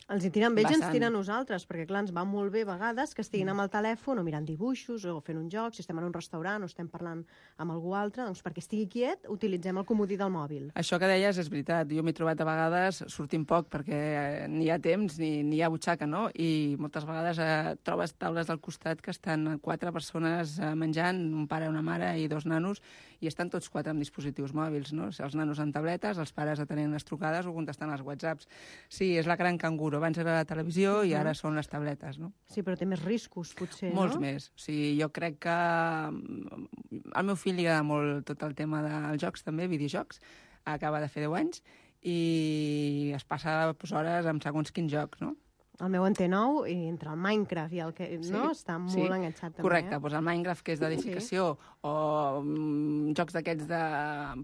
Els hi tiren ells, ens tiren nosaltres, perquè clar, ens va molt bé a vegades que estiguin amb el telèfon o mirant dibuixos o fent un joc, si estem en un restaurant o estem parlant amb algú altre, doncs perquè estigui quiet utilitzem el comodí del mòbil. Això que deies és veritat, jo m'he trobat a vegades sortint poc perquè ni hi ha temps ni hi ha butxaca, no? I moltes vegades trobes taules al costat que estan 4 persones menjant, un pare, una mare i 2 nanos, i estan tots 4 amb dispositius mòbils, no? Els nanos amb tabletes, els pares atenent les trucades o contestant els whatsapps. Sí, és la gran canguro. Abans era la televisió i ara són les tabletes, no? Sí, però té més riscos, potser, no? Molts més. O sigui, jo crec que al meu fill li agrada molt tot el tema dels jocs, també, videojocs. Acaba de fer 10 anys i es passa hores amb segons quins jocs, no? El meu en té 9 i entre el Minecraft i el que... no? Està molt enganxat, també. Correcte, doncs el Minecraft, que és d'edificació, o jocs d'aquests de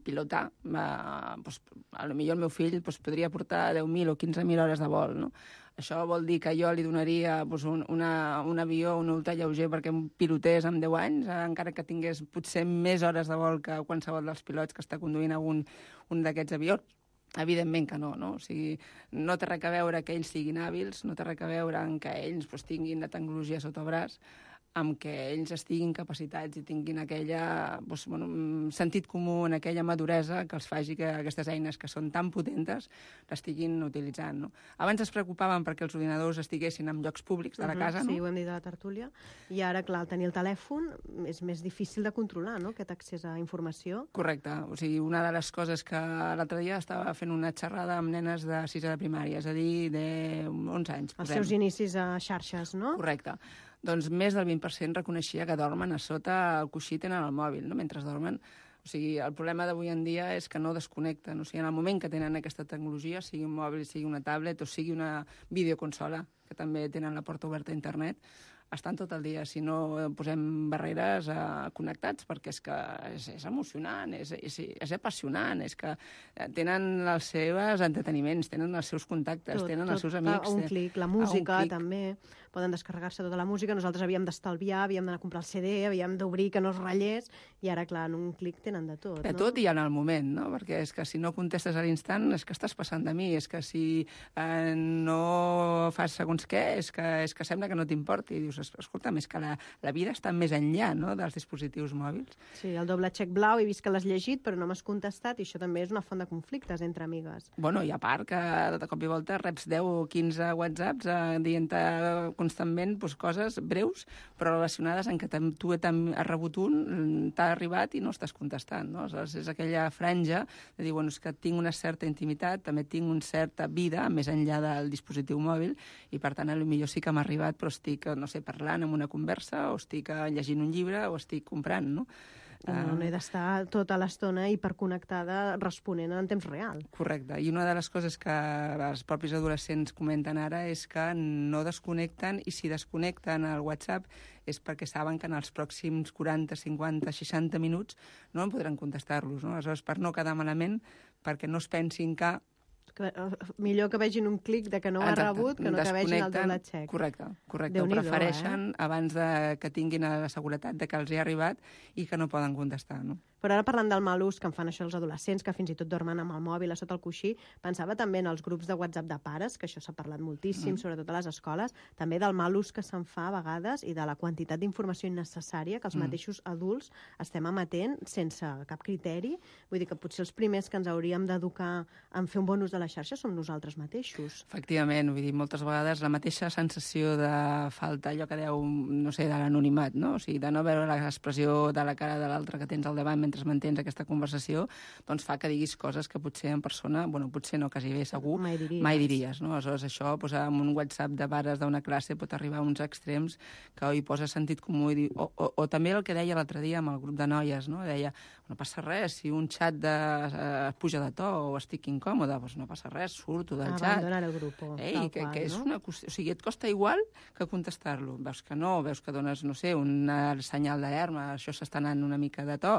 pilotar, doncs, potser el meu fill podria portar 10.000 o 15.000 hores de vol, no? Això vol dir que jo li donaria un avió, un ultralleuger perquè em pilotés amb 10 anys, encara que tingués potser més hores de vol que qualsevol dels pilots que està conduint un d'aquests avions. Evidentment que no, no? O sigui, no té res a veure que ells siguin hàbils, no té res a veure en que ells tinguin la tecnologia sota el braç, amb que ells estiguin capacitats i tinguin aquella sentit comú, en aquella maduresa que els faci que aquestes eines que són tan potentes l'estiguin utilitzant, no? Abans es preocupaven perquè els ordinadors estiguessin en llocs públics de la casa, no? Sí, ho hem dit a la tertúlia. I ara, clar, al tenir el telèfon és més difícil de controlar, no?, aquest accés a informació. Correcte. O sigui, una de les coses que l'altre dia estava fent una xerrada amb nenes de 6a de primària, és a dir, de 11 anys. Els seus inicis a xarxes, no? Correcte. Doncs més del 20% reconeixia que dormen a sota el coixí, tenen el mòbil, no?, mentre dormen. O sigui, el problema d'avui en dia és que no desconnecten. O sigui, en el moment que tenen aquesta tecnologia, sigui un mòbil, sigui una tablet o sigui una videoconsola, que també tenen la porta oberta a internet, estan tot el dia. Si no posem barreres connectats, perquè és que és emocionant, és apassionant, és que tenen els seus entreteniments, tenen els seus contactes, tenen els seus amics. A un clic, la música també, poden descarregar-se tota la música. Nosaltres havíem d'estalviar, havíem d'anar a comprar el CD, havíem d'obrir que no es ratllés, i ara, clar, en un clic tenen de tot. De tot i en el moment, no? Perquè és que si no contestes a l'instant és que estàs passant de mi, és que si no fas segons què, és que sembla que no t'importi. I dius, escolta'm, és que la vida està més enllà, no?, dels dispositius mòbils. Sí, el doble xec blau, he vist que l'has llegit, però no m'has contestat, i això també és una font de conflictes entre amigues. Bueno, i a part que de cop i volta reps 10 o 15 whatsapps dient-te constantment coses breus, però relacionades en que tu has rebut un, t'ha arribat i no estàs contestant, no? Aleshores, és aquella franja de dir, bueno, és que tinc una certa intimitat, també tinc una certa vida més enllà del dispositiu mòbil, i per tant, potser sí que m'ha arribat, però estic, no sé, parlant amb una conversa, o estic llegint un llibre, o estic comprant, no? No he d'estar tota l'estona hiperconnectada responent en temps real. Correcte. I una de les coses que els propis adolescents comenten ara és que no desconnecten, i si desconnecten el WhatsApp és perquè saben que en els pròxims 40, 50, 60 minuts no en podran contestar-los. No? Aleshores, per no quedar malament, perquè no es pensin que millor que vegin un clic de que no ho ha rebut que no que vegin el doble check. Correcte. Ho prefereixen abans que tinguin la seguretat de que els hi ha arribat i que no poden contestar, no? Però ara parlant del mal ús que en fan això els adolescents, que fins i tot dormen amb el mòbil a sota el coixí, pensava també en els grups de WhatsApp de pares, que això s'ha parlat moltíssim, sobretot a les escoles, també del mal ús que se'n fa a vegades i de la quantitat d'informació innecessària que els mateixos adults estem emetent sense cap criteri. Vull dir que potser els primers que ens hauríem d'educar en fer un bon ús de la xarxa som nosaltres mateixos. Efectivament, vull dir, moltes vegades la mateixa sensació de falta, allò que deu, no sé, de l'anonimat, no? O sigui, de no veure l'expressió de la cara de l'altre que tens al davant mentre mantens aquesta conversació, doncs fa que diguis coses que potser en persona, bueno, potser no, quasi bé segur, mai diries, no? Aleshores, això, doncs, amb un WhatsApp de pares d'una classe pot arribar a uns extrems que hi posa sentit comú. O també el que deia l'altre dia amb el grup de noies, no? Deia, no passa res, si un xat puja de to o estic incòmode, doncs no passa res, surto del xat. Abandonar el grup. Que és una qüestió, o sigui, et costa igual que contestar-lo. Veus que no, veus que dones, no sé, un senyal d'alarma, això s'està anant una mica de to,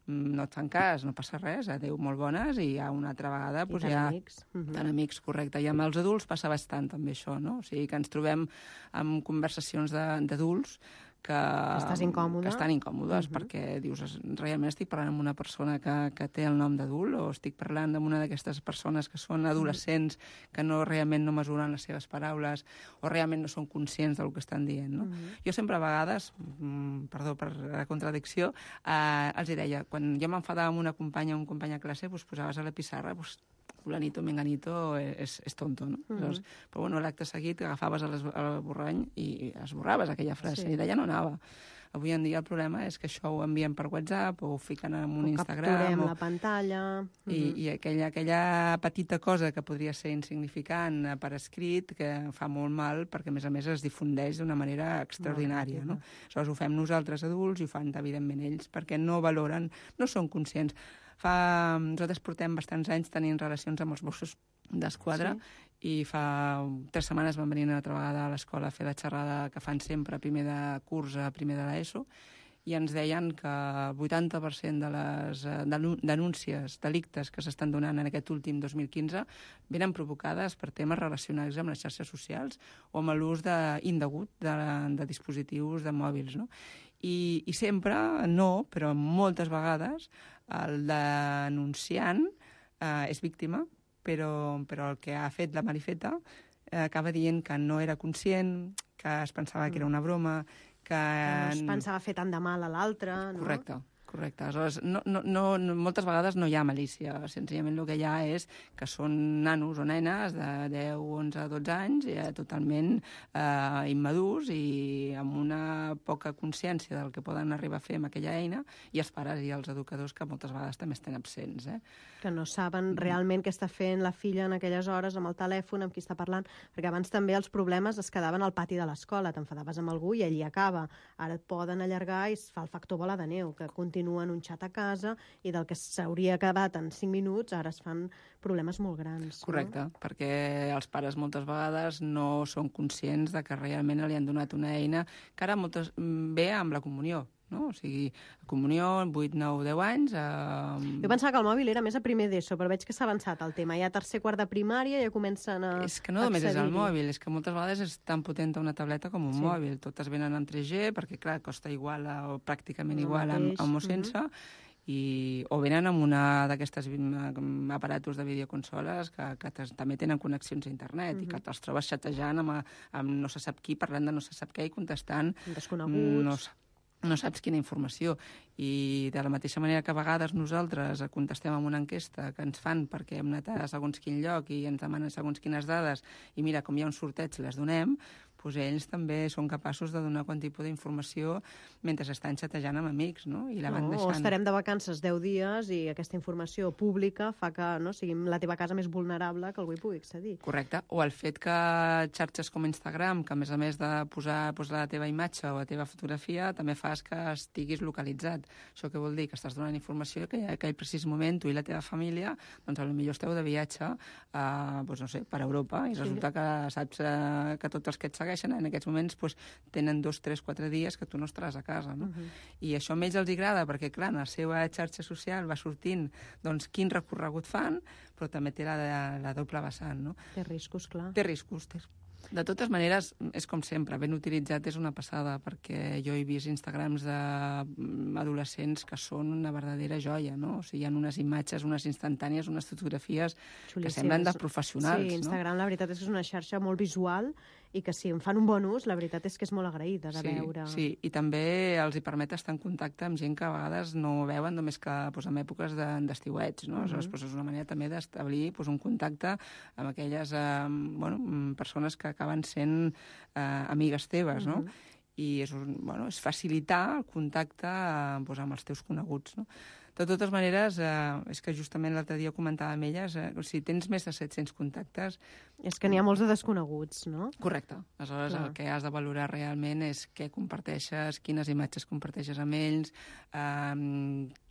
no et fan cas, no passa res, adéu, molt bones, i ja una altra vegada... I tan amics. Tan amics, correcte. I amb els adults passa bastant també això, no? O sigui, que ens trobem amb conversacions d'adults que estan incòmodes perquè dius, realment estic parlant amb una persona que té el nom d'adult o estic parlant amb una d'aquestes persones que són adolescents que realment no mesuren les seves paraules o realment no són conscients del que estan dient, no? Jo sempre a vegades, perdó per la contradicció, els deia, quan jo m'enfadava amb una companya o un company a classe, posaves a la pissarra, fulanito, menganito, és tonto, no? Però bueno, l'acte seguit agafaves el borrany i esborraves aquella frase, i d'allà no anava. Avui en dia el problema és que això ho envien per WhatsApp o ho fiquen en un Instagram. O capturem la pantalla. I aquella petita cosa que podria ser insignificant per escrit, que fa molt mal, perquè a més es difundeix d'una manera extraordinària, no? Aleshores ho fem nosaltres adults i ho fan, evidentment, ells, perquè no valoren, no són conscients. Nosaltres portem bastants anys tenint relacions amb els Mossos d'Esquadra i fa 3 setmanes van venir una altra vegada a l'escola a fer la xerrada que fan sempre primer de curs a primer de l'ESO i ens deien que el 80% de les denúncies, delictes que s'estan donant en aquest últim 2015 venen provocades per temes relacionats amb les xarxes socials o amb l'ús indegut de dispositius de mòbils, no? I sempre, no, però moltes vegades, el denunciant és víctima, però el que ha fet la Marifeta acaba dient que no era conscient, que es pensava que era una broma, que no es pensava fer tant de mal a l'altre, no? Correcte. Aleshores, moltes vegades no hi ha malícia. Senzillament el que hi ha és que són nanos o nenes de 10, 11, 12 anys totalment immadurs i amb una poca consciència del que poden arribar a fer amb aquella eina, i els pares i els educadors que moltes vegades també estan absents. Que no saben realment què està fent la filla en aquelles hores amb el telèfon, amb qui està parlant, perquè abans també els problemes es quedaven al pati de l'escola, t'enfadaves amb algú i allí acaba. Ara et poden allargar i es fa el factor bola de neu, que continua en un xat a casa i del que s'hauria acabat en 5 minuts ara es fan problemes molt grans. Correcte, perquè els pares moltes vegades no són conscients de que realment li han donat una eina que ara ve amb la comunió. No? O sigui, comunió, 8, 9, 10 anys... Jo pensava que el mòbil era més a primer d'ESO, però veig que s'ha avançat el tema. Ja a tercer, quart de primària ja comencen a És que no només és el mòbil, és que moltes vegades és tan potent una tableta com un mòbil. Totes venen en 3G, perquè, clar, costa igual o pràcticament igual amb o sense, o venen amb una d'aquestes aparatos de videoconsoles que també tenen connexions a internet i que te'ls trobes xatejant amb no se sap qui, parlant de no se sap què i contestant... Desconeguts... No saps quina informació. I de la mateixa manera que a vegades nosaltres contestem amb una enquesta que ens fan perquè hem anat a segons quin lloc i ens demanen segons quines dades i mira, com hi ha un sorteig, les donem, doncs ells també són capaços de donar qualsevol tipus d'informació mentre estan xatejant amb amics, no? I la van deixant... O estarem de vacances 10 dies i aquesta informació pública fa que sigui la teva casa més vulnerable que algú hi pugui accedir. Correcte. O el fet que xarxes com Instagram, que a més de posar la teva imatge o la teva fotografia, també fas que estiguis localitzat. Això què vol dir? Que estàs donant informació que en aquell precís moment tu i la teva família, doncs potser esteu de viatge doncs no sé, per Europa i resulta que saps que tots els que et segueixen en aquests moments tenen 2, 3, 4 dies que tu no estaràs a casa, no? I això a ells els agrada perquè, clar, en la seva xarxa social va sortint doncs quin recorregut fan, però també té la doble vessant, no? Té riscos, clar. Té riscos. De totes maneres, és com sempre, ben utilitzat és una passada, perquè jo he vist Instagrams d'adolescents que són una verdadera joia, no? O sigui, hi ha unes imatges, unes instantànies, unes fotografies que semblen de professionals, sí, Instagram, no? La veritat és que és una xarxa molt visual i que si en fan un bon ús, la veritat és que és molt agraïda de veure. Sí, i també els hi permet estar en contacte amb gent que a vegades no veuen només que en èpoques d'estiuets, no? Aleshores, és una manera també d'establir un contacte amb aquelles persones que acaben sent amigues teves, no? I és facilitar el contacte amb els teus coneguts, no? De totes maneres, és que justament l'altre dia comentava amb elles, si tens més de 700 contactes... És que n'hi ha molts de desconeguts, no? Correcte. Aleshores, el que has de valorar realment és què comparteixes, quines imatges comparteixes amb ells,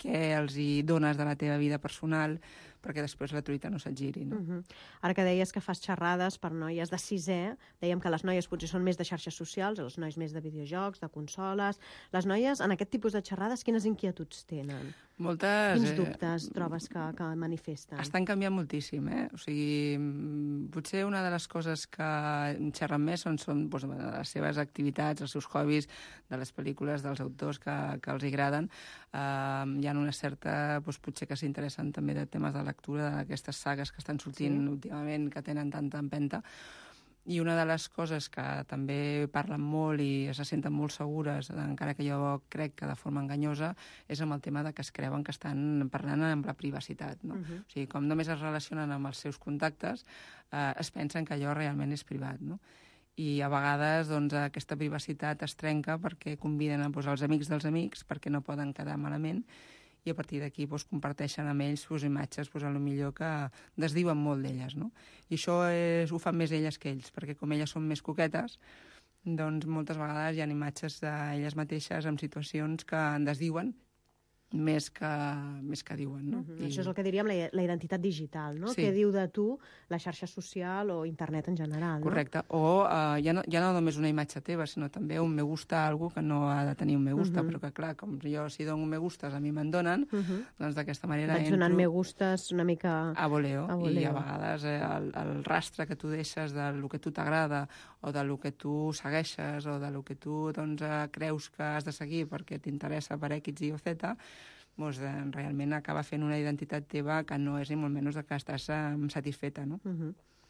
què els hi dones de la teva vida personal, perquè després la truita no se't giri, no? Ara que deies que fas xerrades per noies de 6è, dèiem que les noies potser són més de xarxes socials, els nois més de videojocs, de consoles... Les noies, en aquest tipus de xerrades, quines inquietuds tenen? Moltes... Quins dubtes trobes que manifesten? Estan canviant moltíssim, O sigui, potser una de les coses que xerren més són les seves activitats, els seus hobbies, de les pel·lícules, dels autors que els agraden. Hi ha una certa... potser que s'interessen també de temes de lectura, d'aquestes sagues que estan sortint últimament, que tenen tanta empenta. I una de les coses que també parlen molt i se senten molt segures, encara que jo crec que de forma enganyosa, és amb el tema de que es creuen que estan parlant amb la privacitat, no? O sigui, com només es relacionen amb els seus contactes, es pensen que allò realment és privat, no? I a vegades aquesta privacitat es trenca perquè conviden els amics dels amics perquè no poden quedar malament i a partir d'aquí comparteixen amb ells imatges millor que desdiuen molt d'elles, no? I això ho fan més elles que ells, perquè com elles són més coquetes, doncs moltes vegades hi ha imatges d'elles mateixes en situacions que en desdiuen més que diuen, no? Això és el que diríem la identitat digital, no? Sí. Què diu de tu la xarxa social o internet en general, no? Correcte. O ja no només una imatge teva, sinó també un me gusta a algú que no ha de tenir un me gusta, però que, clar, com jo si dono un me gustes a mi me'n donen, doncs d'aquesta manera vaig donant me gustes una mica... A voleo. I a vegades el rastre que tu deixes del que tu t'agrada o del que tu segueixes o del que tu creus que has de seguir perquè t'interessa per X, Y o Z, realment acaba fent una identitat teva que no és ni molt menys que estàs satisfeta, no?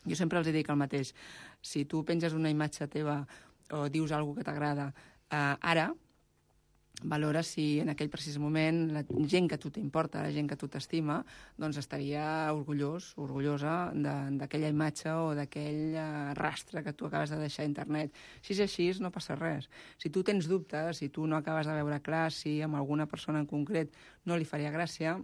Jo sempre els dic el mateix. Si tu penges una imatge teva o dius alguna que t'agrada ara, valora si en aquell precís moment la gent que a tu t'importa, la gent que a tu t'estima, doncs estaria orgullosa d'aquella imatge o d'aquell rastre que tu acabes de deixar a internet. Si és així, no passa res. Si tu tens dubtes, si tu no acabes de veure clar si amb alguna persona en concret no li faria gràcia,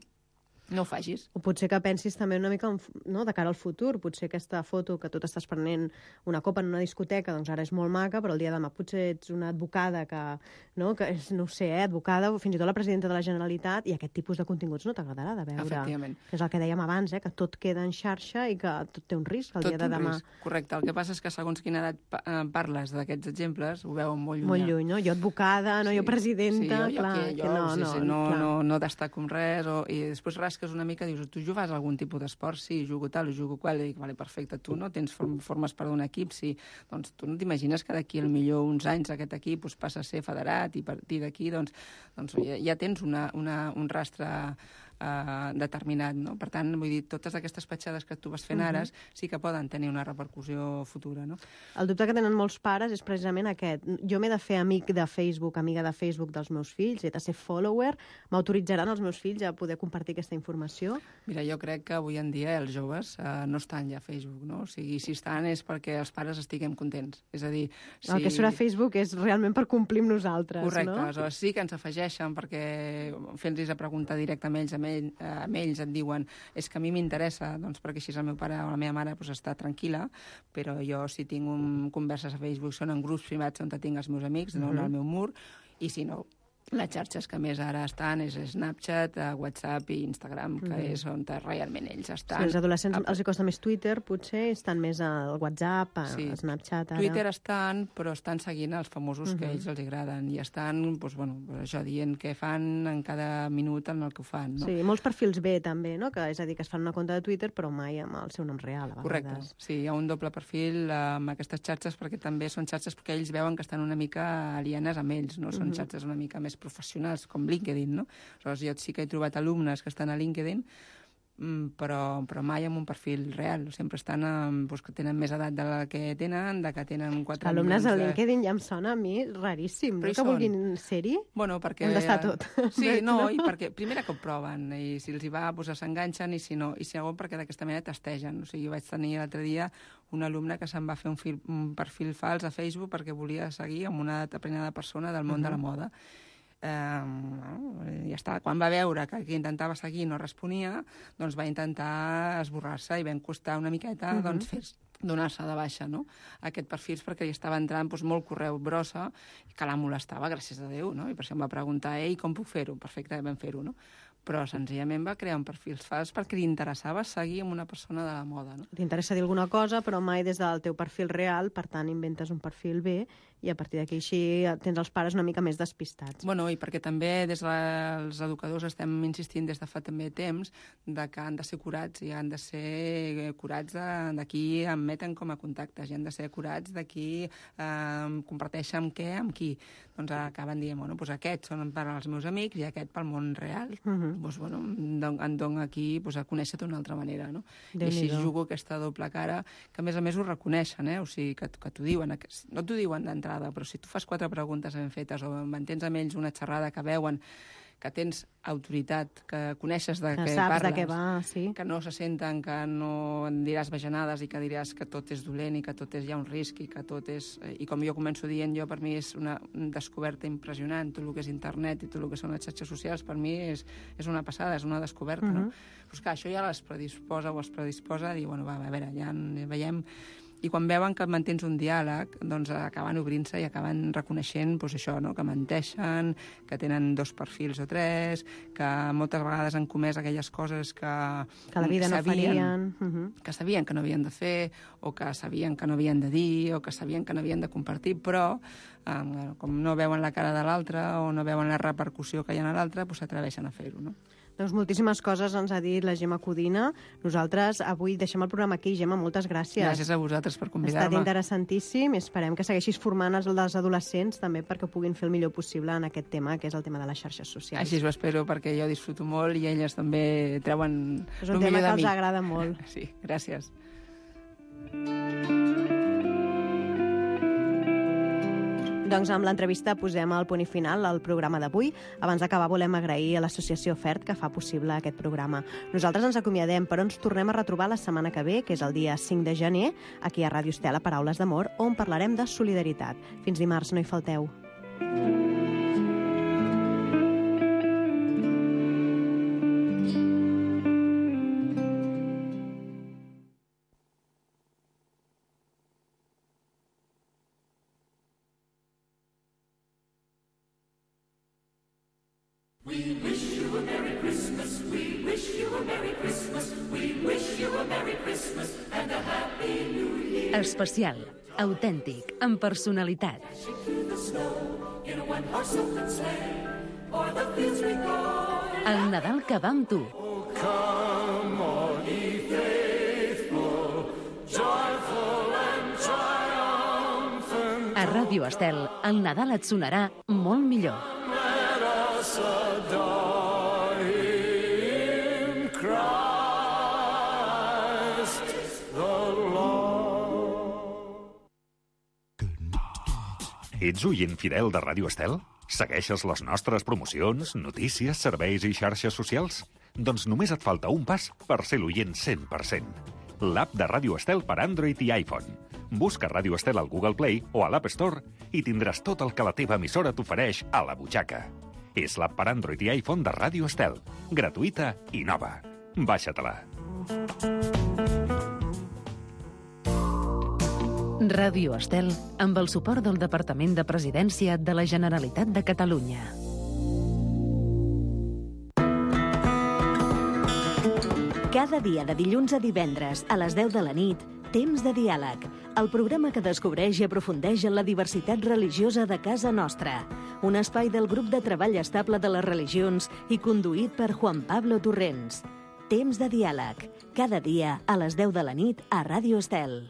no ho facis. O potser que pensis també una mica de cara al futur. Potser aquesta foto que tu t'estàs prenent una copa en una discoteca, doncs ara és molt maca, però el dia de demà potser ets una advocada que és, no ho sé, advocada, o fins i tot la presidenta de la Generalitat, i aquest tipus de continguts no t'agradarà de veure. Efectivament. Que és el que dèiem abans, que tot queda en xarxa i que tot té un risc el dia de demà. Correcte. El que passa és que segons quina edat parles d'aquests exemples, ho veuen molt lluny. Molt lluny, no? Jo advocada, jo presidenta, no destaco amb res, i després rasques una mica, dius, tu jugues a algun tipus d'esport? Sí, jugo tal, jugo qual, i dic, vale, perfecte, tu no tens formes per d'un equip, sí, doncs tu no t'imagines que d'aquí millor uns anys aquest equip passa a ser federat i a partir d'aquí doncs ja tens un rastre determinat, no? Per tant, vull dir, totes aquestes petjades que tu vas fent ara sí que poden tenir una repercussió futura, no? El dubte que tenen molts pares és precisament aquest. Jo m'he de fer amic de Facebook, amiga de Facebook dels meus fills, he de ser follower, m'autoritzaran els meus fills a poder compartir aquesta informació? Mira, jo crec que avui en dia els joves no estan ja a Facebook, no? O sigui, si estan és perquè els pares estiguem contents. És a dir, si... El que surt a Facebook és realment per complir amb nosaltres, correcte, no? Aleshores sí que ens afegeixen perquè fent-los a preguntar directe amb ells, ells et diuen és que a mi m'interessa, doncs perquè així el meu pare o la meva mare pues, està tranquil·la, però jo si tinc converses a Facebook són en grups privats on tinc els meus amics, no al meu mur, i si no, les xarxes que més ara estan és Snapchat, WhatsApp i Instagram, que és on realment ells estan. Sí, els adolescents els costa més Twitter, potser, estan més al WhatsApp, a Snapchat, ara. Twitter estan, però estan seguint els famosos que a ells els agraden i estan, doncs, bueno, això, dient què fan en cada minut en el que ho fan, no? Sí, molts perfils B, també, no? Que, és a dir, que es fan una compte de Twitter, però mai amb el seu nom real, a vegades. Correcte, sí, hi ha un doble perfil amb aquestes xarxes, perquè també són xarxes que ells veuen que estan una mica alienes amb ells, no? Són xarxes una mica més professionals, com LinkedIn, no? Aleshores, jo sí que he trobat alumnes que estan a LinkedIn, però mai amb un perfil real. Sempre estan doncs, que tenen més edat de la que tenen, de que tenen 4 alumnes a LinkedIn ja em sona a mi raríssim, no? Que vulguin ser-hi. Bueno, perquè... Hem d'estar tot. Sí, no, i perquè primera que ho proven, i si els hi va, doncs s'enganxen, i si no, i segon perquè d'aquesta manera testegen. O sigui, jo vaig tenir l'altre dia un alumne que se'n va fer un perfil fals a Facebook perquè volia seguir amb una determinada persona del món de la moda. Ja està. Quan va veure que qui intentava seguir no responia, doncs va intentar esborrar-se i vam costar una miqueta doncs, donar-se de baixa, no? Aquest perfil perquè hi estava entrant doncs, molt correu brossa i que la molestava, gràcies a Déu, no? I per això em va preguntar, ei, com puc fer-ho? Perfecte, vam fer-ho, no? Però senzillament va crear un perfil fals perquè li interessava seguir amb una persona de la moda, no? T'interessa dir alguna cosa, però mai des del teu perfil real, per tant inventes un perfil B i a partir d'aquí així tens els pares una mica més despistats. Bueno, i perquè també des dels educadors estem insistint des de fa també temps de que han de ser curats i han de ser curats de qui em meten com a contactes i han de ser curats de qui comparteixen amb què, amb qui. Doncs acaben dient, bueno, doncs aquests són per als meus amics i aquest pel món real. Doncs, bueno, em dono aquí a conèixer d'una altra manera, no? I així jugo aquesta doble cara, que a més ho reconeixen, o sigui, que t'ho diuen, no t'ho diuen d'entrada, però si tu fas 4 preguntes ben fetes o mantens amb ells una xerrada que veuen que tens autoritat, que coneixes de què parles, de què va, sí. Que no se senten, que no en diràs bajanades i que diràs que tot és dolent i que tot hi ha un risc i que tot és... I com jo començo dient, per mi és una descoberta impressionant, tot el que és internet i tot el que són les xarxes socials, per mi és una passada, és una descoberta, no? Però és que això ja les predisposa o es predisposa a dir, bueno, va, a veure, ja veiem... I quan veuen que mantens un diàleg, doncs acaben obrint-se i acaben reconeixent doncs això, no? Que menteixen, que tenen 2 perfils o 3, que moltes vegades han comès aquelles coses que la vida no farien. Que sabien que no havien de fer, o que sabien que no havien de dir, o que sabien que no havien de compartir, però com no veuen la cara de l'altre o no veuen la repercussió que hi ha en l'altre, doncs s'atreveixen a fer-ho, no? Doncs moltíssimes coses ens ha dit la Gemma Codina. Nosaltres avui deixem el programa aquí. Gemma, moltes gràcies. Gràcies a vosaltres per convidar-me. Ha estat interessantíssim. Esperem que segueixis formant els adolescents també perquè puguin fer el millor possible en aquest tema, que és el tema de les xarxes socials. Així ho espero, perquè jo disfruto molt i elles també treuen el millor de mi. És un tema que els agrada molt. Sí, gràcies. Doncs amb l'entrevista posem el punt i final al programa d'avui. Abans d'acabar volem agrair a l'associació FERT que fa possible aquest programa. Nosaltres ens acomiadem, però ens tornem a retrobar la setmana que ve, que és el dia 5 de gener, aquí a Ràdio Estel, a Paraules d'Amor, on parlarem de solidaritat. Fins dimarts, no hi falteu. Especial, autèntic, amb personalitat. El Nadal que va amb tu. A Ràdio Estel, el Nadal et sonarà molt millor. Ets oient fidel de Ràdio Estel? Segueixes les nostres promocions, notícies, serveis i xarxes socials? Doncs només et falta un pas per ser l'oient 100%. L'app de Ràdio Estel per Android i iPhone. Busca Ràdio Estel al Google Play o a l'App Store i tindràs tot el que la teva emissora t'ofereix a la butxaca. És l'app per Android i iPhone de Ràdio Estel. Gratuïta i nova. Baixa-te-la. Ràdio Estel, amb el suport del Departament de Presidència de la Generalitat de Catalunya. Cada dia de dilluns a divendres a les 10 de la nit, Temps de Diàleg, el programa que descobreix i aprofundeix en la diversitat religiosa de casa nostra. Un espai del grup de treball estable de les religions i conduït per Juan Pablo Torrents. Temps de Diàleg, cada dia a les 10 de la nit a Ràdio Estel.